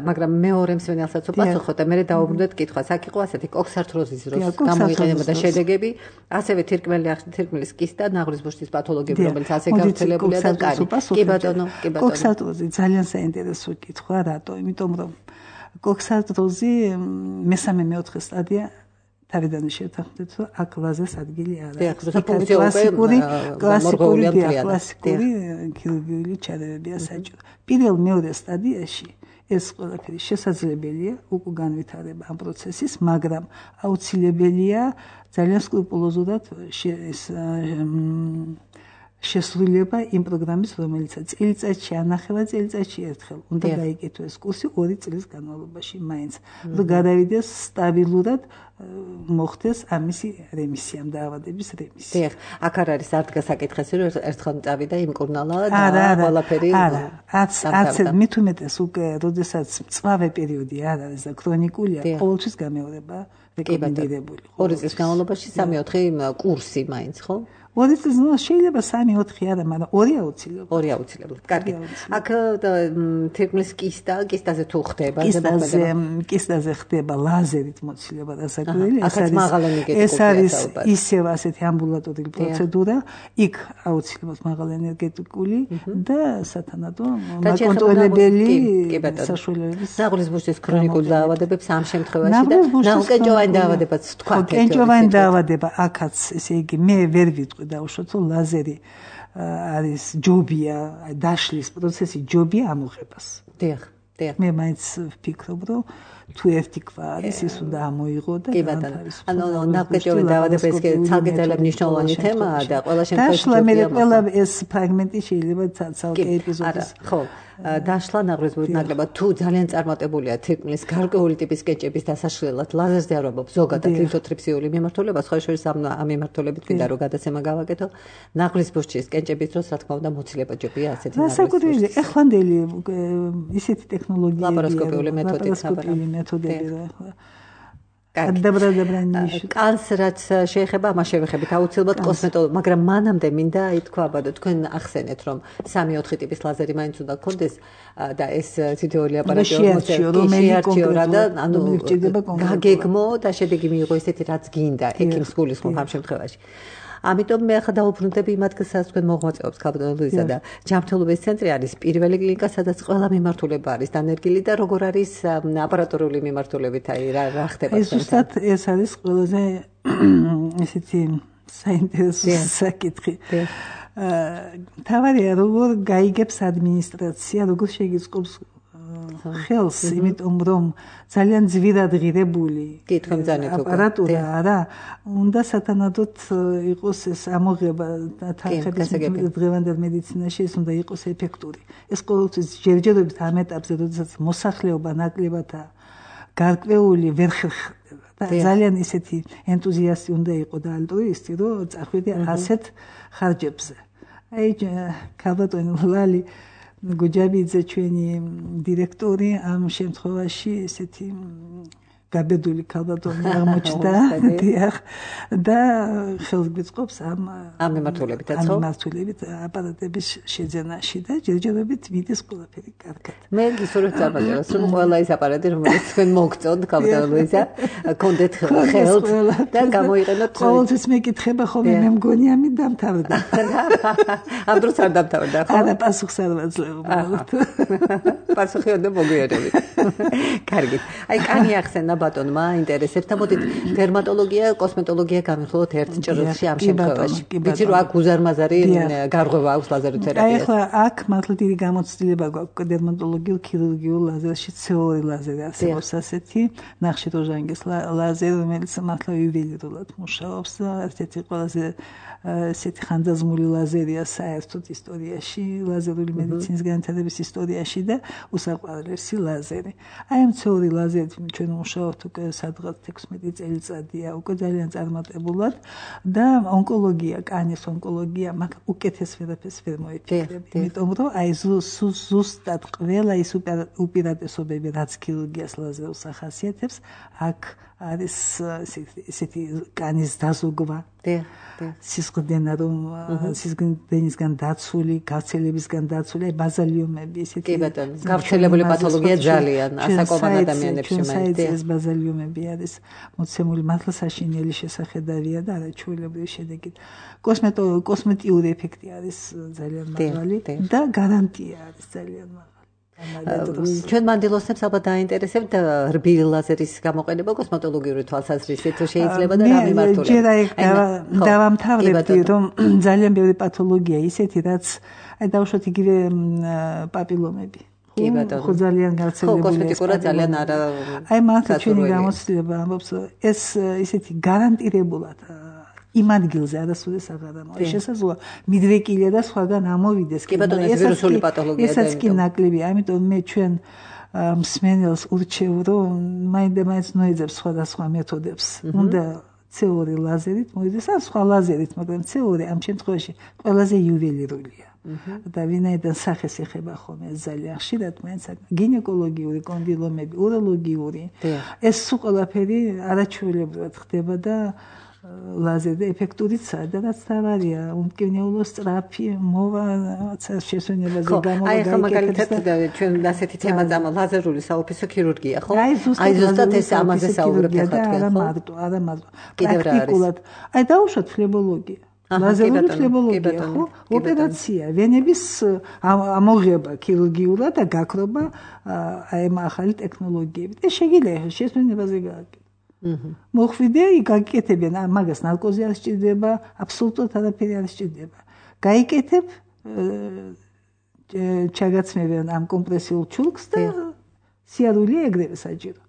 [SPEAKER 2] მაგრამ მეორე მსმენელსაც უპასუხო და მე დავუბრუნდეთ კითხვას. აქ იყო ასეთი კოქსარტროზის დროს გამოიყენება და შედეგები, ასევე თირკმელის კისტა, ნაღლის ბუშტის პათოლოგიები, რომელიც ასე გავრცელებულია და კარი. კი ბატონო, კი ბატონო.
[SPEAKER 3] კოქსარტროზი ძალიან საინტერესო კითხვა, რატო? იმიტომ რომ კოქსარტროზი მესამე-მეოთხე სტადია თავიდან შევთანხმდეთ, რომ აქ ლაზერს ადგილი არ
[SPEAKER 2] აქვს. კლასიკური
[SPEAKER 3] ქირურგიული ჩარეებია საჭირო. პირველ-მეორე სტადიაში ეს ყველაფერი შესაძლებელია, უკვე განვითარება ამ პროცესის, მაგრამ აუცილებელია ძალიან სკრუპულოზურად შესრულება იმ პროგრამის, რომელიცაც წელიწადში ანახევა წელიწადში ერთხელ უნდა გაიკეთოს კურსი 2 წლის განმავლობაში მაინც, რომ გადავიდეს სტაბილურად მოხდეს ამისი რემისია, დაავადების რემისია.
[SPEAKER 2] დიახ, აქ არ არის არ დგას საკითხი, რომ ერთხელ წავიდა იმკურნალა და ყველაფერი.
[SPEAKER 3] არც მით უმეტეს უკვე, როდესაც მწვავე პერიოდი არ არის და ქრონიკულია, ყოველთვის გამეორება რეკომენდირებული.
[SPEAKER 2] 2 წლის განმავლობაში 3-4 კურსი მაინც, ხო?
[SPEAKER 3] 2 წლის შეიძლება 3-4 არა, მაგრამ 2 აუცილებლად.
[SPEAKER 2] 2 აუცილებლად. კარგი. აქ თირკმლის კისტაზე თუ ხდება,
[SPEAKER 3] კისტაზე ხდება ლაზერით მოცილება დასაკვირველი. ეს არის ისევ ასეთი ამბულატორული პროცედურა, იქ აუცილებლად მაღალენერგეტიკული და სათანადო მაკონტროლებელი საშუალებების.
[SPEAKER 2] ნაღვლის ბუშტის ქრონიკულ დაავადებებს ამ შემთხვევაში და ნაუკენჭოვანი დაავადებაც თქვა.
[SPEAKER 3] კენჭოვანი დაავადება აქაც, ესე იგი, მე ვერ ვიტყვი დაუშვათ, რომ ლაზერი არის ჯობია, დაშლის პროცესი ჯობია ამოღებას.
[SPEAKER 2] დიახ.
[SPEAKER 3] მე მაინც ვფიქრობ, რომ თუ ერთი ქვა არის, ის უნდა ამოიღო და
[SPEAKER 2] განთავისუფლდეს. ანუ ნაუკენჭოვანი დაავადება ეს ცალკე ძალიან მნიშვნელოვანი თემაა და ყველა შემთხვევაში
[SPEAKER 3] დაშლა მე ყველა ეს ფრაგმენტი შეიძლება ცალკე ეპიზოდის.
[SPEAKER 2] ხო. დაშლა ნაღრის ნაკლებად თუ ძალიან წარმატებულია თირკმლის გარკვეული ტიპის კენჭების დასაშლელად ლაზერზე არ ვამბობ ზოგადად ლითოტრიფსიული მიმართულება სხვა შორის ამ მიმართულებით ვიდა რომ გადაცემა გავაკეთო ნაღრის ბუშტის კენჭების დროს რა თქმა უნდა მოცილება ჯობია ასეთი
[SPEAKER 3] ნაღრის ეხლანდელი ისეთი ტექნოლოგიები
[SPEAKER 2] ლაპარასკოპიული
[SPEAKER 3] მეთოდები
[SPEAKER 2] კანს რაც შეეხება ამას შევეხებით აუცილებლად კოსმეტოლოგი მაგრამ მანამდე მინდა ითქვა აბადო თქვენ ახსენეთ რომ 3-4 ტიპის ლაზერი მაინც უნდა გქონდეს და ეს თითოეული აპარატი შეარჩიო და ანუ გაგეგმო და შედეგი მიიღო ესეთი რაც გინდა ექიმს გულისხმობ ამ შემთხვევაში ამიტომ მე ახლა დაუბრუნდები იმ ადგილსაც თქვენ მოღვაწეობს ქალბატონო ლუიზა და ჯანმრთელობის ცენტრი არის პირველი კლინიკა სადაც ყველა მიმართულება არის დანერგილი და როგორ არის აპარატურული მიმართულებით აი რა ხდება
[SPEAKER 3] ეს უბრალოდ ეს არის ყველაზე ესეთი საინტერესო საკითხი თავარია როგორ გაიგებს ადმინისტრაცია როგორ შეგიწყობს ხელს იმიტომ რომ ძალიან ძვირად ღირებული აპარატურა არა უნდა სათანადოდ იყოს ეს ამოღება თანხების დღევანდელ მედიცინაში ეს უნდა იყოს ეფექტური ეს ყოველთვის ჯერჯერობით ამ ეტაპზე როდესაც მოსახლეობა ნაკლებადაა გარკვეული ვერ ხერხდება და ძალიან ისეთი ენთუზიასტი უნდა იყოს და ალტრუისტი რომ წახვიდე ასეთ ხარჯებზე აი ქალბატონი ლალი გუჯაბიძე ჩვენი დირექტორი ამ შემთხვევაში ესეთი გაბედული ქალბატონი აღმოჩნდა და ხელს გვიწყობს ამ
[SPEAKER 2] მიმართულებითაც ხო?
[SPEAKER 3] მიმართულებით აპარატების შეძენაში და ჯერჯერობით მიდის ყველაფერი კარგად.
[SPEAKER 2] მე გისურვებთ საბაჟოს რომ ყველა ის აპარატი რომელიც თქვენ მოგწონთ ქალბატონო ლუიზა გქონდეთ ხელთ და გამოიყენოთ
[SPEAKER 3] ყოველთვის მეკითხება ხოლმე მე მგონი ამით დამთავრდა.
[SPEAKER 2] ამ დროს არ დამთავრდა ხო?
[SPEAKER 3] არა პასუხს არ ვაძლევ.
[SPEAKER 2] პასუხი უნდა მოგვიარებით. კარგი. აი კანი ახსენა ბატონმა ინტერესებს და მოდით დერმატოლოგია, კოსმეტოლოგია გამიხსოვოთ ერთ ჭრილში ამ შემთხვევაში. ვიცი რომ აქ უზარმაზარი გარღვევა აქვს ლაზეროთერაპიას.
[SPEAKER 3] აი ახლა აქ მართლა დიდი გამოცდილება გვაქვს დერმატოლოგიურ ქირურგიულ ლაზერში CO2 ლაზერი არსებობს ასეთი ნახშირორჟანგის ლაზერი რომელიც მართლა იუველირულად მუშაობს და ერთ-ერთი ყველაზე ესეთი ხანძაზმული ლაზერია საერთოდ ისტორიაში ლაზერული მედიცინის განვითარების ისტორიაში და უსაყვარლესი ლაზერი. აი ამ CO2 ლაზერით ჩვენ მუშაობთ უკვე სადღაც 16 წელიწადია უკვე ძალიან წარმატებულად და ონკოლოგია, კანის ონკოლოგია მაგ უკეთეს ვერაფერს ვერ მოიფიქრებ. იმიტომ რომ აი ზუსტად ყველა ის უპირატესობები რაც ქირურგიას ლაზერს ახასიათებს აქ არის ესეთი კანის დაზოგვა. სისხლდენა რომ სისხლდენისგან დაცული, გავრცელებისგან დაცული, ბაზალიუმები ესეთი.
[SPEAKER 2] კი ბატონო, გავრცელებული პათოლოგია ძალიან ასაკობან ადამიანებში მაინც.
[SPEAKER 3] ეს ბაზალიუმები არის მოცემული მართლა საშინელი შესახედავია და არაჩვეულებრივი შედეგით. კოსმეტიური ეფექტი არის ძალიან მაღალი და გარანტია არის ძალიან მაღალი.
[SPEAKER 2] ჩვენ მანდილოსნებს ალბათ დაინტერესებთ რბილი ლაზერის გამოყენება კოსმეტოლოგიური თვალსაზრისით თუ შეიძლება და რა მიმართულებით.
[SPEAKER 3] ჯერ დავამთავრებდი რომ ძალიან ბევრი პათოლოგია ისეთი რაც დავუშვათ იგივე პაპილომები.
[SPEAKER 2] კი ბატონო.
[SPEAKER 3] ხო ძალიან გავრცელებულია.
[SPEAKER 2] ხო კოსმეტიკურად ძალიან არა.
[SPEAKER 3] აი მართლა ჩვენი გამოცდილება ამბობს ეს ისეთი გარანტირებულად იმ ადგილზე არასოდეს აღარ ამოვა. შესაძლოა მიდრეკილია და სხვაგან ამოვიდეს.
[SPEAKER 2] კი ბატონო ეს ვირუსული პათოლოგია და
[SPEAKER 3] ესაც კი ნაკლებია, ამიტომ მე ჩვენ მსმენელს ურჩევ რომ მაინდა-მაინც ნოიძებს სხვადასხვა მეთოდებს. უნდა CO2 ლაზერით მოიდეს ან სხვა ლაზერით, მაგრამ CO2 ამ შემთხვევაში ყველაზე იუველირულია. და ვინაიდან სახეს ეხება ხოლმე ძალიან ხშირად მაინც გინეკოლოგიური კონდილომები, უროლოგიური ეს სულ ყველაფერი არაჩვეულებრივად ხდება და ლაზერი ეფექტურიცაა და რაც თავარია უმკვნეულო სწრაფი მოვა შესვენებაზე
[SPEAKER 2] გამოვა. აი ხა მაგალითად ჩვენ ასეთი თემა წამა ლაზერული საოფისო ქირურგია, ხო? აი ზუსტად ეს ამაზე საუბრობთ ახლა თქვენ,
[SPEAKER 3] არა მარტო. პრაქტიკულად. აი დაუშვათ ფლებოლოგია. ლაზერული ფლებოლოგია, ხო? ოპერაცია, ვენების ამოღება ქირურგიულად და გაქრობა აი ამ ახალი ტექნოლოგიებით. ეს შეგიძლია შესვენებაზე გააკეთო. მოხვიდე, გაკეთებენ, მაგას ნარკოზი არ სჭირდება, აბსოლუტურად არაფერი არ სჭირდება. გაიკეთებ, ჩაგაცმევენ ამ კომპრესიულ ჩულკს და სიარულია ეგრევე საჭირო.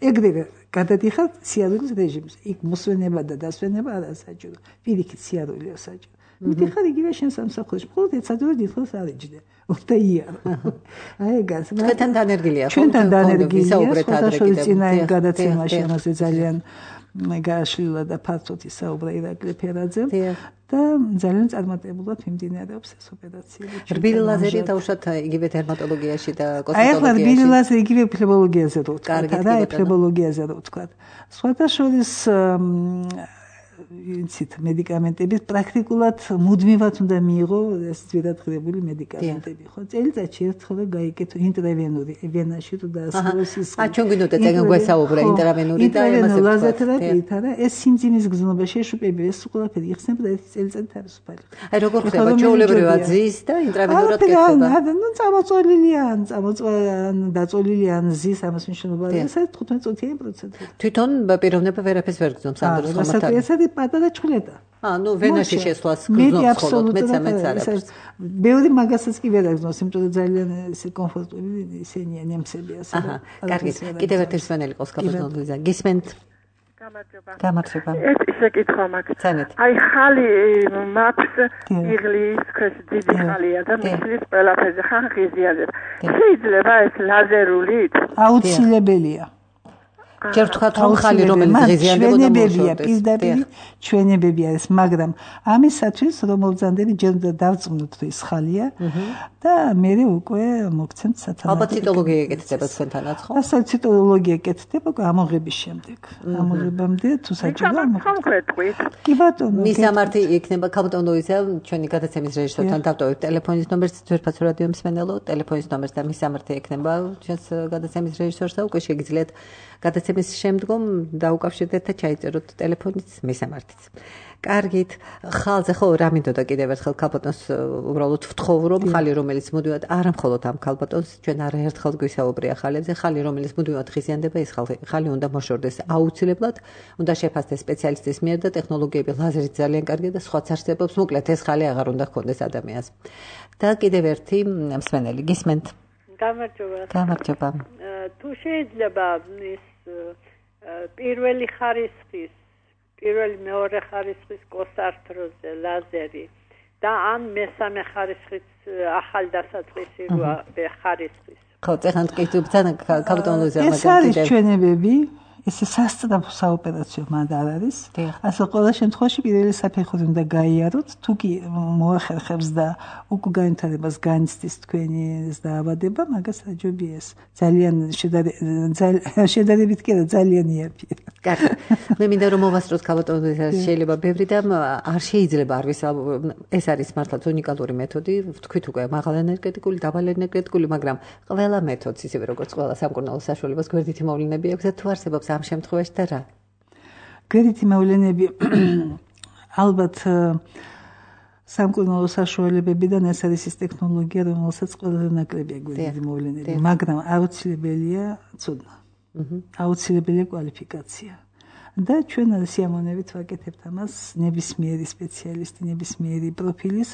[SPEAKER 3] ეგრევე გადადიხარ სიარულის რეჟიმზე. იქ მოსვენება და დასვენება არა საჭირო. პირიქით სიარულია საჭირო. მიდიხარ იგივე შენ სამსახურში, მხოლოდ ეცადო დიდხანს არ იჯდე. უნდა იარო. აი ეგაც.
[SPEAKER 2] თქვენთან დანერგილია ხო?
[SPEAKER 3] ჩვენთან დანერგილია. სხვადასხვა წინა გადაცემაში ამაზე ძალიან გააშლილა და ფართოდ ისაუბრა ირაკლი ფერაძემ და ძალიან წარმატებულად მიმდინარეობს ეს ოპერაცია.
[SPEAKER 2] რბილი ლაზერი დაუშვათ იგივე დერმატოლოგიაში და
[SPEAKER 3] კოსმეტოლოგიაში. აი ახლა რბილი ლაზერი იგივე ფლებოლოგიაზე რო ვთქვა, და ფლებოლოგიაზე რო ვთქვა. სხვადასხვა იცით მედიკამენტები პრაქტიკულად მუდმივად უნდა მიიღო ეს ძვირადღირებული მედიკამენტები ხო წელიწადში ერთხელ გაიკეთო ინტრავენური ვენაში თუ დაასრულოს ის
[SPEAKER 2] ჩვენ გვინდოდა ეგენ გვესაუბრა ინტრავენური და
[SPEAKER 3] ამაზე ლაზერთერაპიით არა ეს სიმძიმის გზნობა შეშუპები ეს ყველაფერი იხსნება და წელიწად თავისუფალი
[SPEAKER 2] აი როგორ ხდება ჩვეულებრივად ზის და ინტრავენურად კეთდება
[SPEAKER 3] ნუ წამოწოლილია დაწოლილია ზის ამას მნიშვნელობა ეს 15 წუთიანი პროცედურა
[SPEAKER 2] თვითონ პიროვნება ვერაფერს ვერ გძნობს ანდროს ხომათან
[SPEAKER 3] პატარა ჩხლეტა.
[SPEAKER 2] ნუ ვენაში შესვლას გზნობს ხოლმე მეცამეც არის.
[SPEAKER 3] ბევრი მაგასაც კი ვერ აგზნობს, იმიტომ რომ ძალიან ესე კომფორტული ისენია ნემსები ასე.
[SPEAKER 2] კარგი. კიდევ ერთი სვენელი ყავს კაპიტონლიზა. გისმენთ? გამარჯობა.
[SPEAKER 7] ეს ისე კითხვა მაქვს. აი ხალი მაქვს იღლის ქეს დიდი ხალია და მისლის ყველაფერზე ხან ღიზიაზებ. შეიძლება ეს ლაზერულით?
[SPEAKER 3] აუცილებელია.
[SPEAKER 2] ჯერ ვთქვათ რომ ხალი რომელიც ღიზიანდებოდა
[SPEAKER 3] ჩვენებებია პირდაპირ ჩვენებები არის მაგრამ ამისათვის რომ მოვძანდები ჯერ უნდა დავწმუნოთ რომ ის ხალია და მე უკვე მოგცემთ სათანადო
[SPEAKER 2] ალბათ ციტოლოგია ეკეთება თქვენთანაც ხო?
[SPEAKER 3] ასე ციტოლოგია ეკეთება ამოღების შემდეგ ამოღებამდე თუ საჭირო
[SPEAKER 7] კონკრეტულად
[SPEAKER 3] კი ბატონო
[SPEAKER 2] მისამართი იქნება კაპიტონოიზა ჩვენი გადაცემის რეჟისორთან დავტოვებთ ტელეფონის ნომერს ძვირფას რადიო მსმენელო ტელეფონის ნომერს და მისამართი იქნება ჩვენს გადაცემის რეჟისორს და უკვე შეგიძლიათ გადაცემის შემდგომ დაუკავშირდეთ და ჩაიწეროთ ტელეფონით მისამართიც. კარგით, ხალზე ხო რა მინდოდა კიდევ ერთხელ ქალბატონს უბრალოდ ვთხოვ რომ ხალი რომელიც მუდმივად არა მხოლოდ ამ ქალბატონს ჩვენ არაერთხელ გვისაუბრია ხალებზე, ხალი რომელიც მუდმივად ღიზიანდება ეს ხალი უნდა მოშორდეს აუცილებლად, უნდა შეფასდეს სპეციალისტის მიერ და ტექნოლოგიები ლაზერით ძალიან კარგია და სხვაც არსებობს, მოკლედ ეს ხალი აღარ უნდა ჰქონდეს ადამიანს. და კიდევ ერთი მსმენელი გისმენთ? გამარჯობა.
[SPEAKER 5] თუ შეიძლება ის პირველი ხარისხის, პირველი მეორე ხარისხის კოსართროზე ლაზერი და ან მესამე ხარისხის ახალდასაწყისი ხარისხის.
[SPEAKER 2] ხო, წეხან ტკიცობთან კაპიტონლუზა
[SPEAKER 3] მაგალითად. ეს არის ჩვენებები, ესე სასწრაფო საოპერაციო მანდ არ არის. ასე ყველა შემთხვევაში პირველი საფეხური უნდა გაიაროთ, თუ კი მოახერხებს და უკვე განვითარებას განიცდის თქვენი ეს დაავადება, მაგას აჯობია ეს. ძალიან შედარებით კი არა, ძალიან იაფია.
[SPEAKER 2] კარგი. მე მინდა რომ მოვასწროთ კაპიტონლუზა შეიძლება ბევრი და არ შეიძლება არ ვისაუბროთ. ეს არის მართლაც უნიკალური მეთოდი, ვთქვით უკვე მაღალენერგეტიკული, დაბალენერგეტიკული, მაგრამ ყველა მეთოდს ისევე როგორც ყველა სამკურნალო საშუალებას გვერდითი მოვლენები აქვს და თუ არსებობს ამ შემთხვევაში და რა?
[SPEAKER 3] გვერდითი მოვლენები ალბათ სამკურნალო საშუალებებიდან ეს არის ის ტექნოლოგია, რომელსაც ყველაზე ნაკლებია გვერდით მოვლენილი, მაგრამ აუცილებელია ცოდნა. აუცილებელია კვალიფიკაცია. და ჩვენ სიამოვნებით ვაკეთებთ ამას ნებისმიერი სპეციალისტი, ნებისმიერი პროფილის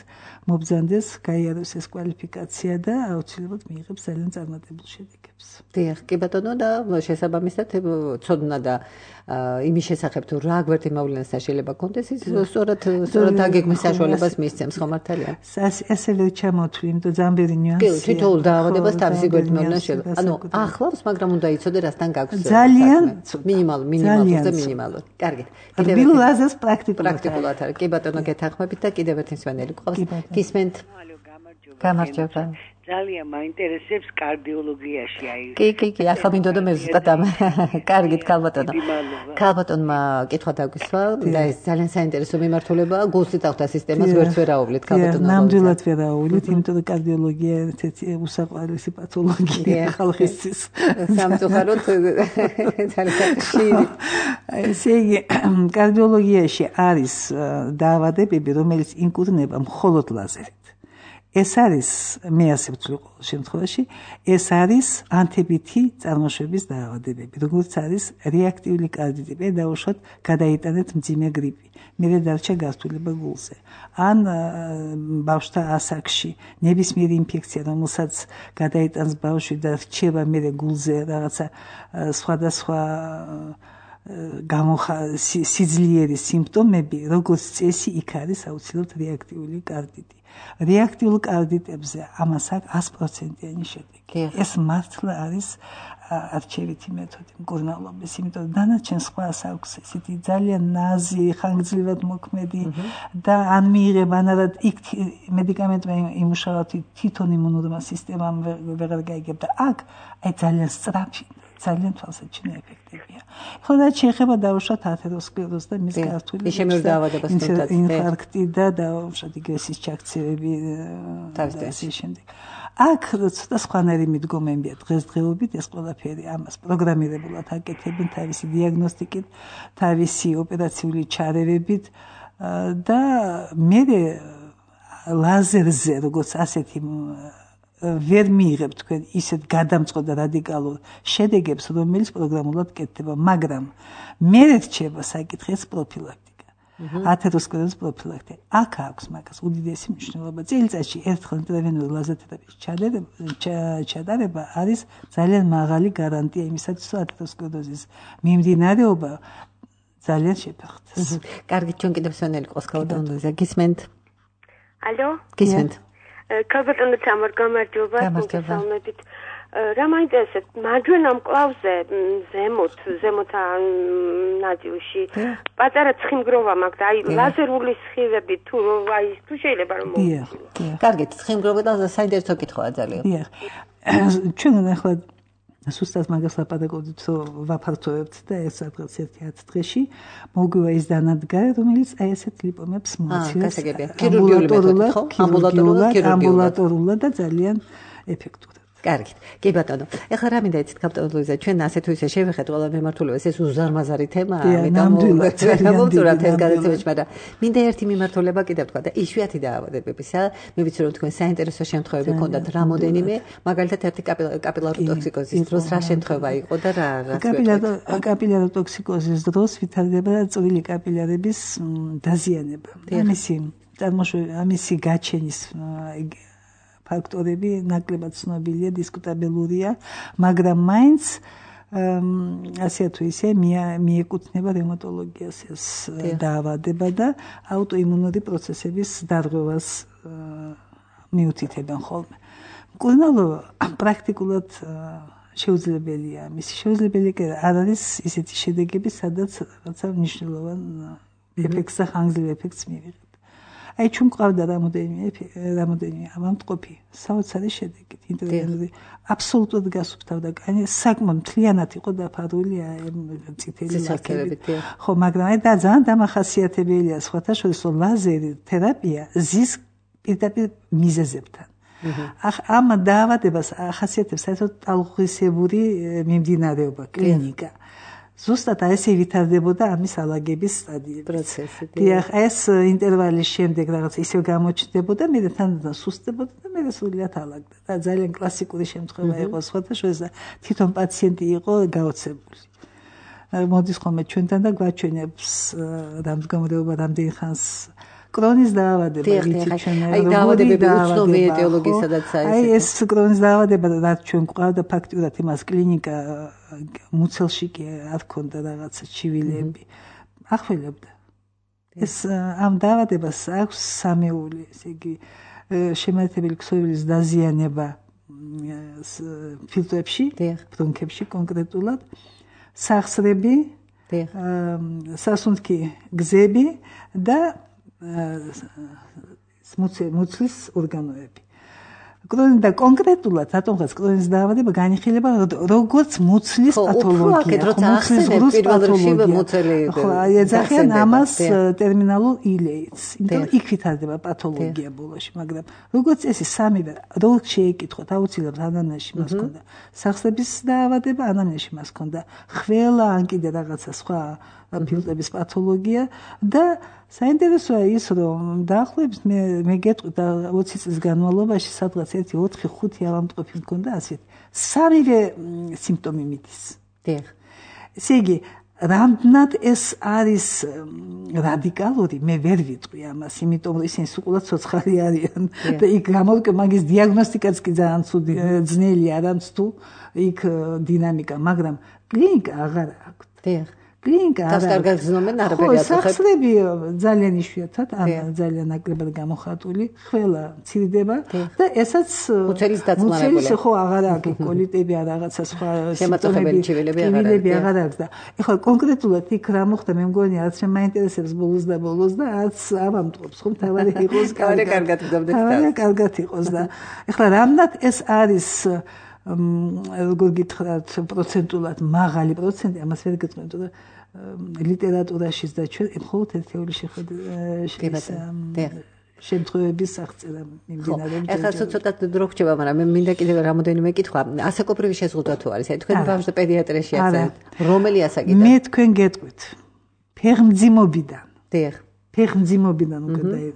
[SPEAKER 3] მობრძანდეს გაიაროს ეს კვალიფიკაცია და აუცილებლად მიიღებს ძალიან წარმატებულ შედეგებს.
[SPEAKER 2] დიახ, კი ბატონო და შესაბამისად ცოდნა და იმის შესახებ თუ რა გვერდი მოვლენასთან შეიძლება კონდეს ის სწორად დაგეგმვის საშუალებას მისცემს ხო მართალია?
[SPEAKER 3] ასევე ჩამოთვლი, იმიტომ ძალიან ბევრი ნიუანსია.
[SPEAKER 2] კი, თითოეულ დაავადებას თავისი გვერდი მოვლენა შეიძლება. ანუ ახლავს, მაგრამ უნდა იცოდე რასთან გაქვს.
[SPEAKER 3] ძალიან
[SPEAKER 2] მინიმალურზე მინიმალურ. კარგი.
[SPEAKER 3] რბილ-ლაზერს პრაქტიკულად
[SPEAKER 2] არის. კი ბატონო, გეთანხმებით და კიდევ ერთი მსვენელი გყავს. გისმენთ? გამარჯობა.
[SPEAKER 8] ძალიან მაინტერესებს კარდიოლოგიაში აი.
[SPEAKER 2] კი, ახლა მინდოდა მე ზუსტად ამ. კარგით, ქალბატონო. ქალბატონმა კითხვა დაგვისვა და ეს ძალიან საინტერესო მიმართულებაა. გულსით აღთა სისტემას ვერც ვერ აუვლით ქალბატონო.
[SPEAKER 3] ნამდვილად ვერ აუვლით, იმიტომ რომ კარდიოლოგია ერთ-ერთი უსაყვარლესი პათოლოგია ხალხისთვის.
[SPEAKER 2] სამწუხაროდ ძალიან ხშირი.
[SPEAKER 3] ესე იგი, კარდიოლოგიაში არის დაავადებები, რომელიც იმკურნება მხოლოდ ლაზერით. ეს არის მე ასე ვთვლი ყოველ შემთხვევაში, ეს არის ანთებითი წარმოშობის დაავადებები, როგორც არის რეაქტიული კარდიტი, დაუშვათ გადაიტანეთ მძიმე გრიპი, მერე დარჩა გართულება გულზე. ან ბავშვთა ასაკში ნებისმიერი ინფექცია, რომელსაც გადაიტანს ბავშვი და რჩება მერე გულზე რაღაცა სხვადასხვა სიძლიერის სიმპტომები, როგორც წესი, იქ არის აუცილებლად რეაქტიული კარდიტი. რეაქტიულ კარდიტებზე ამას აქვს 100%-იანი შედეგი. ეს მართლა არის არჩევითი მეთოდი მკურნალობის, იმიტომ რომ დანარჩენ სხვას აქვს ესეთი ძალიან ნაზი, ხანგრძლივად მოქმედი და ან მიიღება ან არა იქ მედიკამენტმა იმუშავა თვითონ იმუნურმა სისტემამ ვეღარ გაიგებდა. აქ აი ძალიან სწრაფი ძალიან თვალსაჩინო ეფექტებია. ხოლო შეიძლება დაუშვათ ათეროსკლეროზს და მის გართული ინფარქტი და დაუშვათ იგრესის ჩაქცევები და ასე შემდეგ. აქ ცოტა სხვანაირი მიდგომებია დღესდღეობით ეს ყველაფერი ამას პროგრამირებულად აკეთებენ თავისი დიაგნოსტიკით, თავისი ოპერაციული ჩარევებით და მე ლაზერზე როგორც ასეთი ვერ მიიღებ თქვენ ისეთ გადამწყვეტ და რადიკალურ შედეგებს, რომელიც პროგრამულად კეთდება, მაგრამ მე რჩება საკითხი ეს პროფილაქტიკა. ათეროსკლეროზის პროფილაქტიკა. აქ აქვს მაგას უდიდესი მნიშვნელობა. წელიწადში ერთხელ ინტერვენული ლაზერთერაპიის ჩატარება არის ძალიან მაღალი გარანტია იმისათვის, რომ ათეროსკლეროზის მიმდინარეობა ძალიან შეფერხდეს.
[SPEAKER 2] კარგი, ჩვენ კიდევ სვენელი ყავს ქალბატონზე. გისმენთ?
[SPEAKER 9] ალო?
[SPEAKER 2] გისმენთ?
[SPEAKER 9] ქალბატონო თამარ გამარჯობა, მოგესალმებით. რა მაინტერესებს, მარჯვენა მკლავზე ზემოთ ნაწილში პატარა ცხიმგროვა მაქვს და აი ლაზერული სხივები თუ შეიძლება რომ
[SPEAKER 2] მოვიწყო. კარგი, ცხიმგროვა და საინტერესო კითხვაა ძალიან.
[SPEAKER 3] დიახ. ჩვენ ახლა სუსტად მაგას ლაპარაკობთ, რომ ვაფართოვებთ და ეს რაღაც 1-10 დღეში მოგვივა ის დანადგარი, რომელიც აი ესეთ ლიპომებს მოაცილებს ამბულატორულად და ძალიან ეფექტურად.
[SPEAKER 2] კარგით. კი ბატონო. ეხლა რა მინდა იცით ქალბატონო ლუიზა, ჩვენ ასე თუ ისე შევეხეთ ყველა მიმართულებას, ეს უზარმაზარი თემაა, ამიტომ გავუწურებთ ეს გადაცემაში, მაგრამ მინდა ერთი მიმართულება კიდევ თქვა და იშვიათი დაავადებებისა, მე ვიცი რომ თქვენ საინტერესო შემთხვევები გქონდათ რამოდენიმე, მაგალითად ერთი კაპილარული ტოქსიკოზის დროს რა შემთხვევა იყო და რა
[SPEAKER 3] კაპილარული ტოქსიკოზის დროს ვითარდება წვრილი კაპილარების დაზიანება. ამისი გაჩენის ფაქტორები ნაკლებად ცნობილია, დისკუტაბელურია, მაგრამ მაინც ასე თუ ისე მიეკუთვნება რევმატოლოგიას ეს დაავადება და აუტოიმუნური პროცესების დარღვევას მიუთითებენ ხოლმე. მკურნალობა პრაქტიკულად შეუძლებელია. მისი შემძლებელი არ არის ისეთი შედეგები, სადაც რაღაცა მნიშვნელოვან ეფექტს და ხანგრძლივ ეფექტს მივიღებ. აი ჩვენ ყავდა რამოდენიმე ავადმყოფი საოცარი შედეგით ინტერვენული აბსოლუტურად გასუფთავდა კანი საკმაოდ მთლიანად იყო დაფარული წითელი ლაქებით ხო მაგრამ აი და ძალიან დამახასიათებელია სხვათა შორის ლაზერი თერაპია ზის პირდაპირ მიზეზებთან ამ დაავადებას ახასიათებს საერთოდ ტალღისებური მიმდინარეობა კლინიკა ზუსტად ესე ვითარდებოდა ამის ალაგების სტადიები.
[SPEAKER 2] პროცესი.
[SPEAKER 3] დიახ, ეს ინტერვალის შემდეგ რაღაც ისე გამოჩნდებოდა, მე თანდათან სუსტდებოდა და მე სულიად ალაგდა. და ძალიან კლასიკური შემთხვევა იყო სხვადასხვა თვითონ პაციენტი იყო გაოცებული. მოდის ხოლმე ჩვენთან და გვაჩვენებს რამდენიმე რამდენი ხანს კრონის დაავადება, ვიცით ჩვენ
[SPEAKER 2] აი დაავადებები უცნობი ეტიოლოგიისადაც
[SPEAKER 3] აი ეს კრონის დაავადება რაც ჩვენ გვყავდა ფაქტურად იმას კლინიკა მუცელში კი არ ქონდა რაღაცა ჩივილები ახველებდა ეს ამ დაავადებას აქვს სამეული ესე იგი შემაერთებელი ქსოვილის დაზიანება ფილტრებში ბრონქებში კონკრეტულად სახსრები სასუნთქი გზები და მუცლის ორგანოები. კრონი და კონკრეტულად რატომღაც კრონის დაავადება განიხილება როგორც მუცლის პათოლოგია.
[SPEAKER 2] მუცლის პათოლოგია.
[SPEAKER 3] ხო, ეძახიან ამას ტერმინალურ ილეიტს. იმიტომ იქ ვითარდება პათოლოგია ბოლოში, მაგრამ როგორც წესი სამივე რო შეეკითხოთ, აუცილებლად ანამნეზში მას ქონდა. სახსრების დაავადება ანამნეზში მას ქონდა. ხველა ან კიდე რაღაცა სხვა ფილტრების პათოლოგია და საინტერესოა ის რომ დაახლოებით მე გეტყვით 20 წლის განმავლობაში სადღაც 1-4-5 ავადმყოფი მქონდა ასეთ სამივე სიმპტომი მიდის.
[SPEAKER 2] დიახ.
[SPEAKER 3] ესე იგი რამდენად ეს არის რადიკალური მე ვერ ვიტყვი ამას იმიტომ რომ ისინი სულ ცოცხალი არიან და იქ გამოვიკე მაგის დიაგნოსტიკაც კი ძალიან ძნელია არამც თუ იქ დინამიკა მაგრამ კლინიკა აღარ აქვს.
[SPEAKER 2] დიახ.
[SPEAKER 3] კლინიკა
[SPEAKER 2] არ კარგად ზნობენ არაფერი აწუხებს.
[SPEAKER 3] სახსრები ძალიან იშვიათად ან ძალიან ნაკლებად გამოხატული, ყველა მცირდება და ესაც
[SPEAKER 2] მუცელის დაწმარებული.
[SPEAKER 3] ხო აღარ აქვს კოლიტები ან რაღაცა სხვა
[SPEAKER 2] შემაწუხებელი ჩივილები
[SPEAKER 3] აღარ აქვს და ეხლა კონკრეტულად იქ რა მოხდა მე მგონი რაც შემაინტერესებს ბოლოს და რაც ავამტყობს ხომ თავარი იყოს
[SPEAKER 2] კარგად
[SPEAKER 3] კარგად იყოს და ეხლა რამდენად ეს არის როგორ გითხრათ პროცენტულად მაღალი პროცენტი ამას ვერ გეტყვი თუმცა ლიტერატურაშიც და ჩვენ მხოლოდ ერთეული შემთხვევების აღწერა მიმდინარეობს.
[SPEAKER 2] ეხლა ცოტა დრო რჩება, მაგრამ მე მინდა კიდევ რამოდენიმე კითხვა. ასაკობრივი შეზღუდვა თუ არის? აი თქვენ ბავშვთა პედიატრიაში ახსენეთ. რომელი ასაკიდან?
[SPEAKER 3] მე თქვენ გეტყვით. ფეხმძიმობიდან.
[SPEAKER 2] დიახ.
[SPEAKER 3] ფეხმძიმობიდან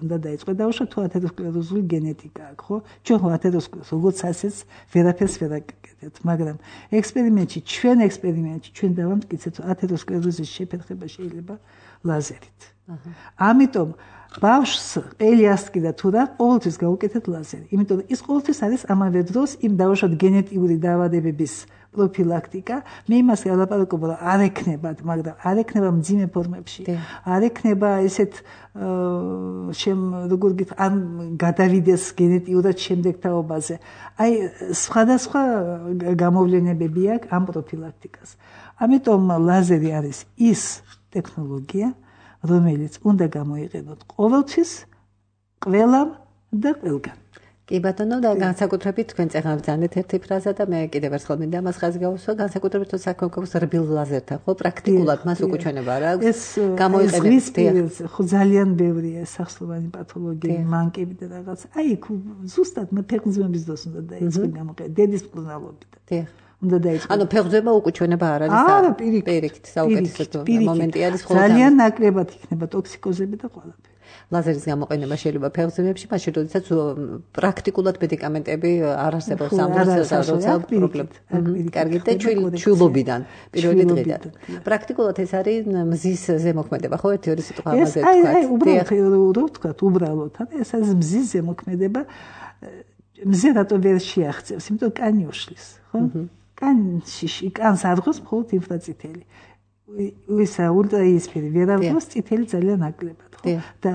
[SPEAKER 3] უნდა დაიწყო და უშო თუ ათეროსკლეროზული გენეტიკა აქვს, ხო? ჩვენ ხო ათეროსკლეროზს როგორც ასეც ვერაფერს ვერ აკეთებთ, მაგრამ ჩვენ დავამტკიცეთ, რომ ათეროსკლეროზის შეფერხება შეიძლება ლაზერით. ამიტომ ბავშვს ყელი ასკიდა თუ რა, ყოველთვის გაუკეთეთ ლაზერი. იმიტომ რომ ის ყოველთვის არის ამავე დროს იმ დაუშვათ გენეტიკური დაავადებების პროფილაქტიკა. მე იმას ელაპარაკობ, რომ არ ექნებათ, მაგრამ არ ექნება მძიმე ფორმებში. არ ექნება ესეთ როგორ გითხრათ, ან გადავიდეს გენეტიურად შემდეგ თაობაზე. აი სხვადასხვა გამოვლენებები აქვს ამ პროფილაქტიკას. ამიტომ ლაზერი არის ის ტექნოლოგია, რომელიც უნდა გამოიყენოთ ყოველთვის, ყველამ და ყველგან.
[SPEAKER 2] კი ბატონო და განსაკუთრებით თქვენ წეგავძანეთ ერთი ფრაზა და მე კიდევ ერთხელ მინდა მას ხაზი გავუსვა განსაკუთრებით თუ საქმე გვაქვს რბილ ლაზერთან ხო პრაქტიკულად მას უკუჩვენება რა აქვს
[SPEAKER 3] გამოიყენებს ხო ძალიან ბევრია სახსრობანი პათოლოგია მანკები და რაღაც აი ზუსტად მე ფეხმძიმების დროს უნდა დაიწყო გამოყენება დედის მკურნალობით უნდა დაიწყო
[SPEAKER 2] ანუ ფეხმძიმება უკუჩვენება არ არის პირიქით საუკეთესო მომენტი არის ხოლმე
[SPEAKER 3] ძალიან ნაკლებად იქნება ტოქსიკოზები და ყველაფერი
[SPEAKER 2] ლაზერის გამოყენება შეიძლება ფეხმძიმებში, მაშინ როდესაც პრაქტიკულად მედიკამენტები არ არსებობს ამ როცა პრობლემა. კარგი და ჩვილობიდან, პირველი დღიდან. პრაქტიკულად ეს არის მზის ზემოქმედება, ხო, ერთი-ორი სიტყვა ამაზე თქვა.
[SPEAKER 3] აი, უბრალოდ, ეს არის მზის ზემოქმედება. მზე რატო ვერ შეაღწევს, იმიტომ კანი უშლის, ხო? კანს არღოს მხოლოდ ინფრაწითელი. ისა ულტრაიისფერი ვერავდოს წითელი ძალიან ნაკლებად ხო და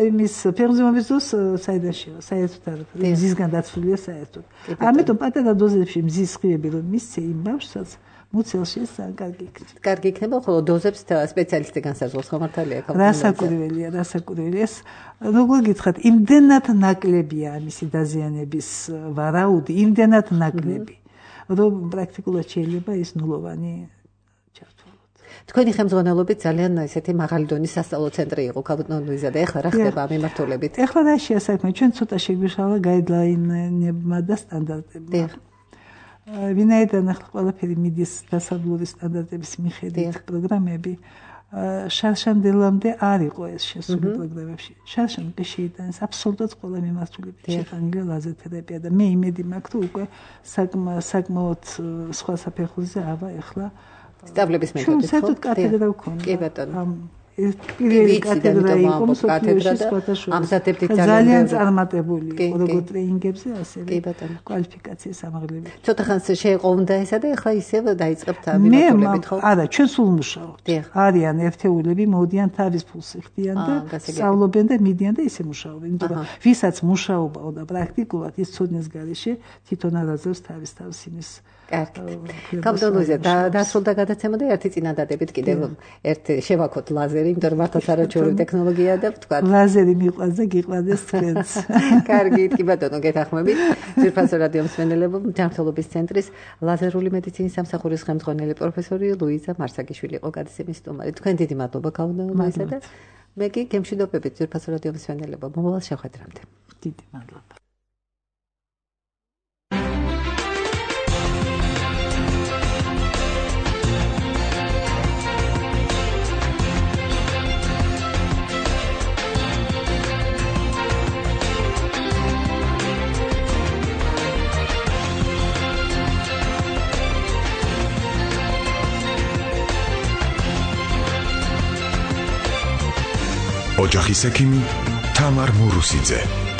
[SPEAKER 3] იმის ფეხმძიმების დროს საერთოდ მზისგან დაცულია საერთოდ ამიტომ პატარა დოზებში მზის სხივები რომ მისცე იმ ბავშვსაც მუცელში კარგი იქნება
[SPEAKER 2] კარგი იქნება ხოლო დოზებს სპეციალისტი განსაზღვროს ხო მართალია
[SPEAKER 3] რასაკვირველია ეს როგორ გითხრათ იმდენად ნაკლებია მისი დაზიანების ვარაუდი იმდენად ნაკლები რომ პრაქტიკულად შეიძლება ის ნულოვანი
[SPEAKER 2] თქვენი ხელმძღვანელობით ძალიან ესეთი მაღალი დონის სასწავლო ცენტრი იყო ქაბატონ ლუიზა და ეხლა რა ხდება ამ მიმართულებით?
[SPEAKER 3] ეხლა რა შეასაქმე ჩვენ ცოტა შეგვიშალა გაიდლაინებმა და სტანდარტებმა. ვინაიდან ახლა ყველაფერი მიდის დასაბლური სტანდარტების მიხედვით პროგრამები შარშანდელამდე არ იყო ეს შესული პროგრამებში. შარშან კი შეიტანეს აბსოლუტურად ყველა მიმართულებით შეხანილი ლაზერ თერაპია და მე იმედი მაქვს რომ უკვე საკმაოდ სხვა საფეხურზე ავა ახლა
[SPEAKER 2] სწავლების მეთოდით ხო?
[SPEAKER 3] საერთოდ კათედრა ვქონდა.
[SPEAKER 2] კი ბატონო.
[SPEAKER 3] პირველი კათედრა იყო მსოფლიოში
[SPEAKER 2] ამზადებდით
[SPEAKER 3] ძალიან წარმატებული როგორ ტრეინინგებზე ასევე კვალიფიკაციის ამაღლებით.
[SPEAKER 2] ცოტა ხანს შეეყოვდა ესა და ახლა ისევ დაიწყებთ ამბულატორებით ხო?
[SPEAKER 3] არა, ჩვენ სულ მუშაობთ. არიან ერთეულები, მოდიან თავის ფულს იხდიან და სწავლობენ და მიდიან და ისე მუშაობენ. იმიტომ რომ ვისაც მუშაობაო და პრაქტიკულად ის ცოდნის გარეშე თვითონ არაძლევს თავის თავს იმის
[SPEAKER 2] კარგი. კაბდოლუზე დასრულდა გადაცემა და ერთი წინადადებით კიდევ ერთ შევაქოთ ლაზერი, იმიტომ რომ მართლაც არაჩვეულებრივი ტექნოლოგია და ვთქვა.
[SPEAKER 3] ლაზერი მიყვარს და გიყვარდეს თქვენს.
[SPEAKER 2] კარგი, კი ბატონო, გეთანხმებით. ძვირფასო რადიო მსმენელებო, ჯანმრთელობის ცენტრის ლაზერული მედიცინის სამსახურის ხელმძღვანელი პროფესორი ლუიზა მარსაგიშვილი იყო გადაცემის სტუმარი. თქვენ დიდი მადლობა კაბდოლუზე და მე კი გემშვიდობებით ძვირფასო რადიო მსმენელებო. მომავალ შეხვედრამდე.
[SPEAKER 3] დიდი მადლობა.
[SPEAKER 1] ოჯახის ექიმი თამარ მურუსიძე.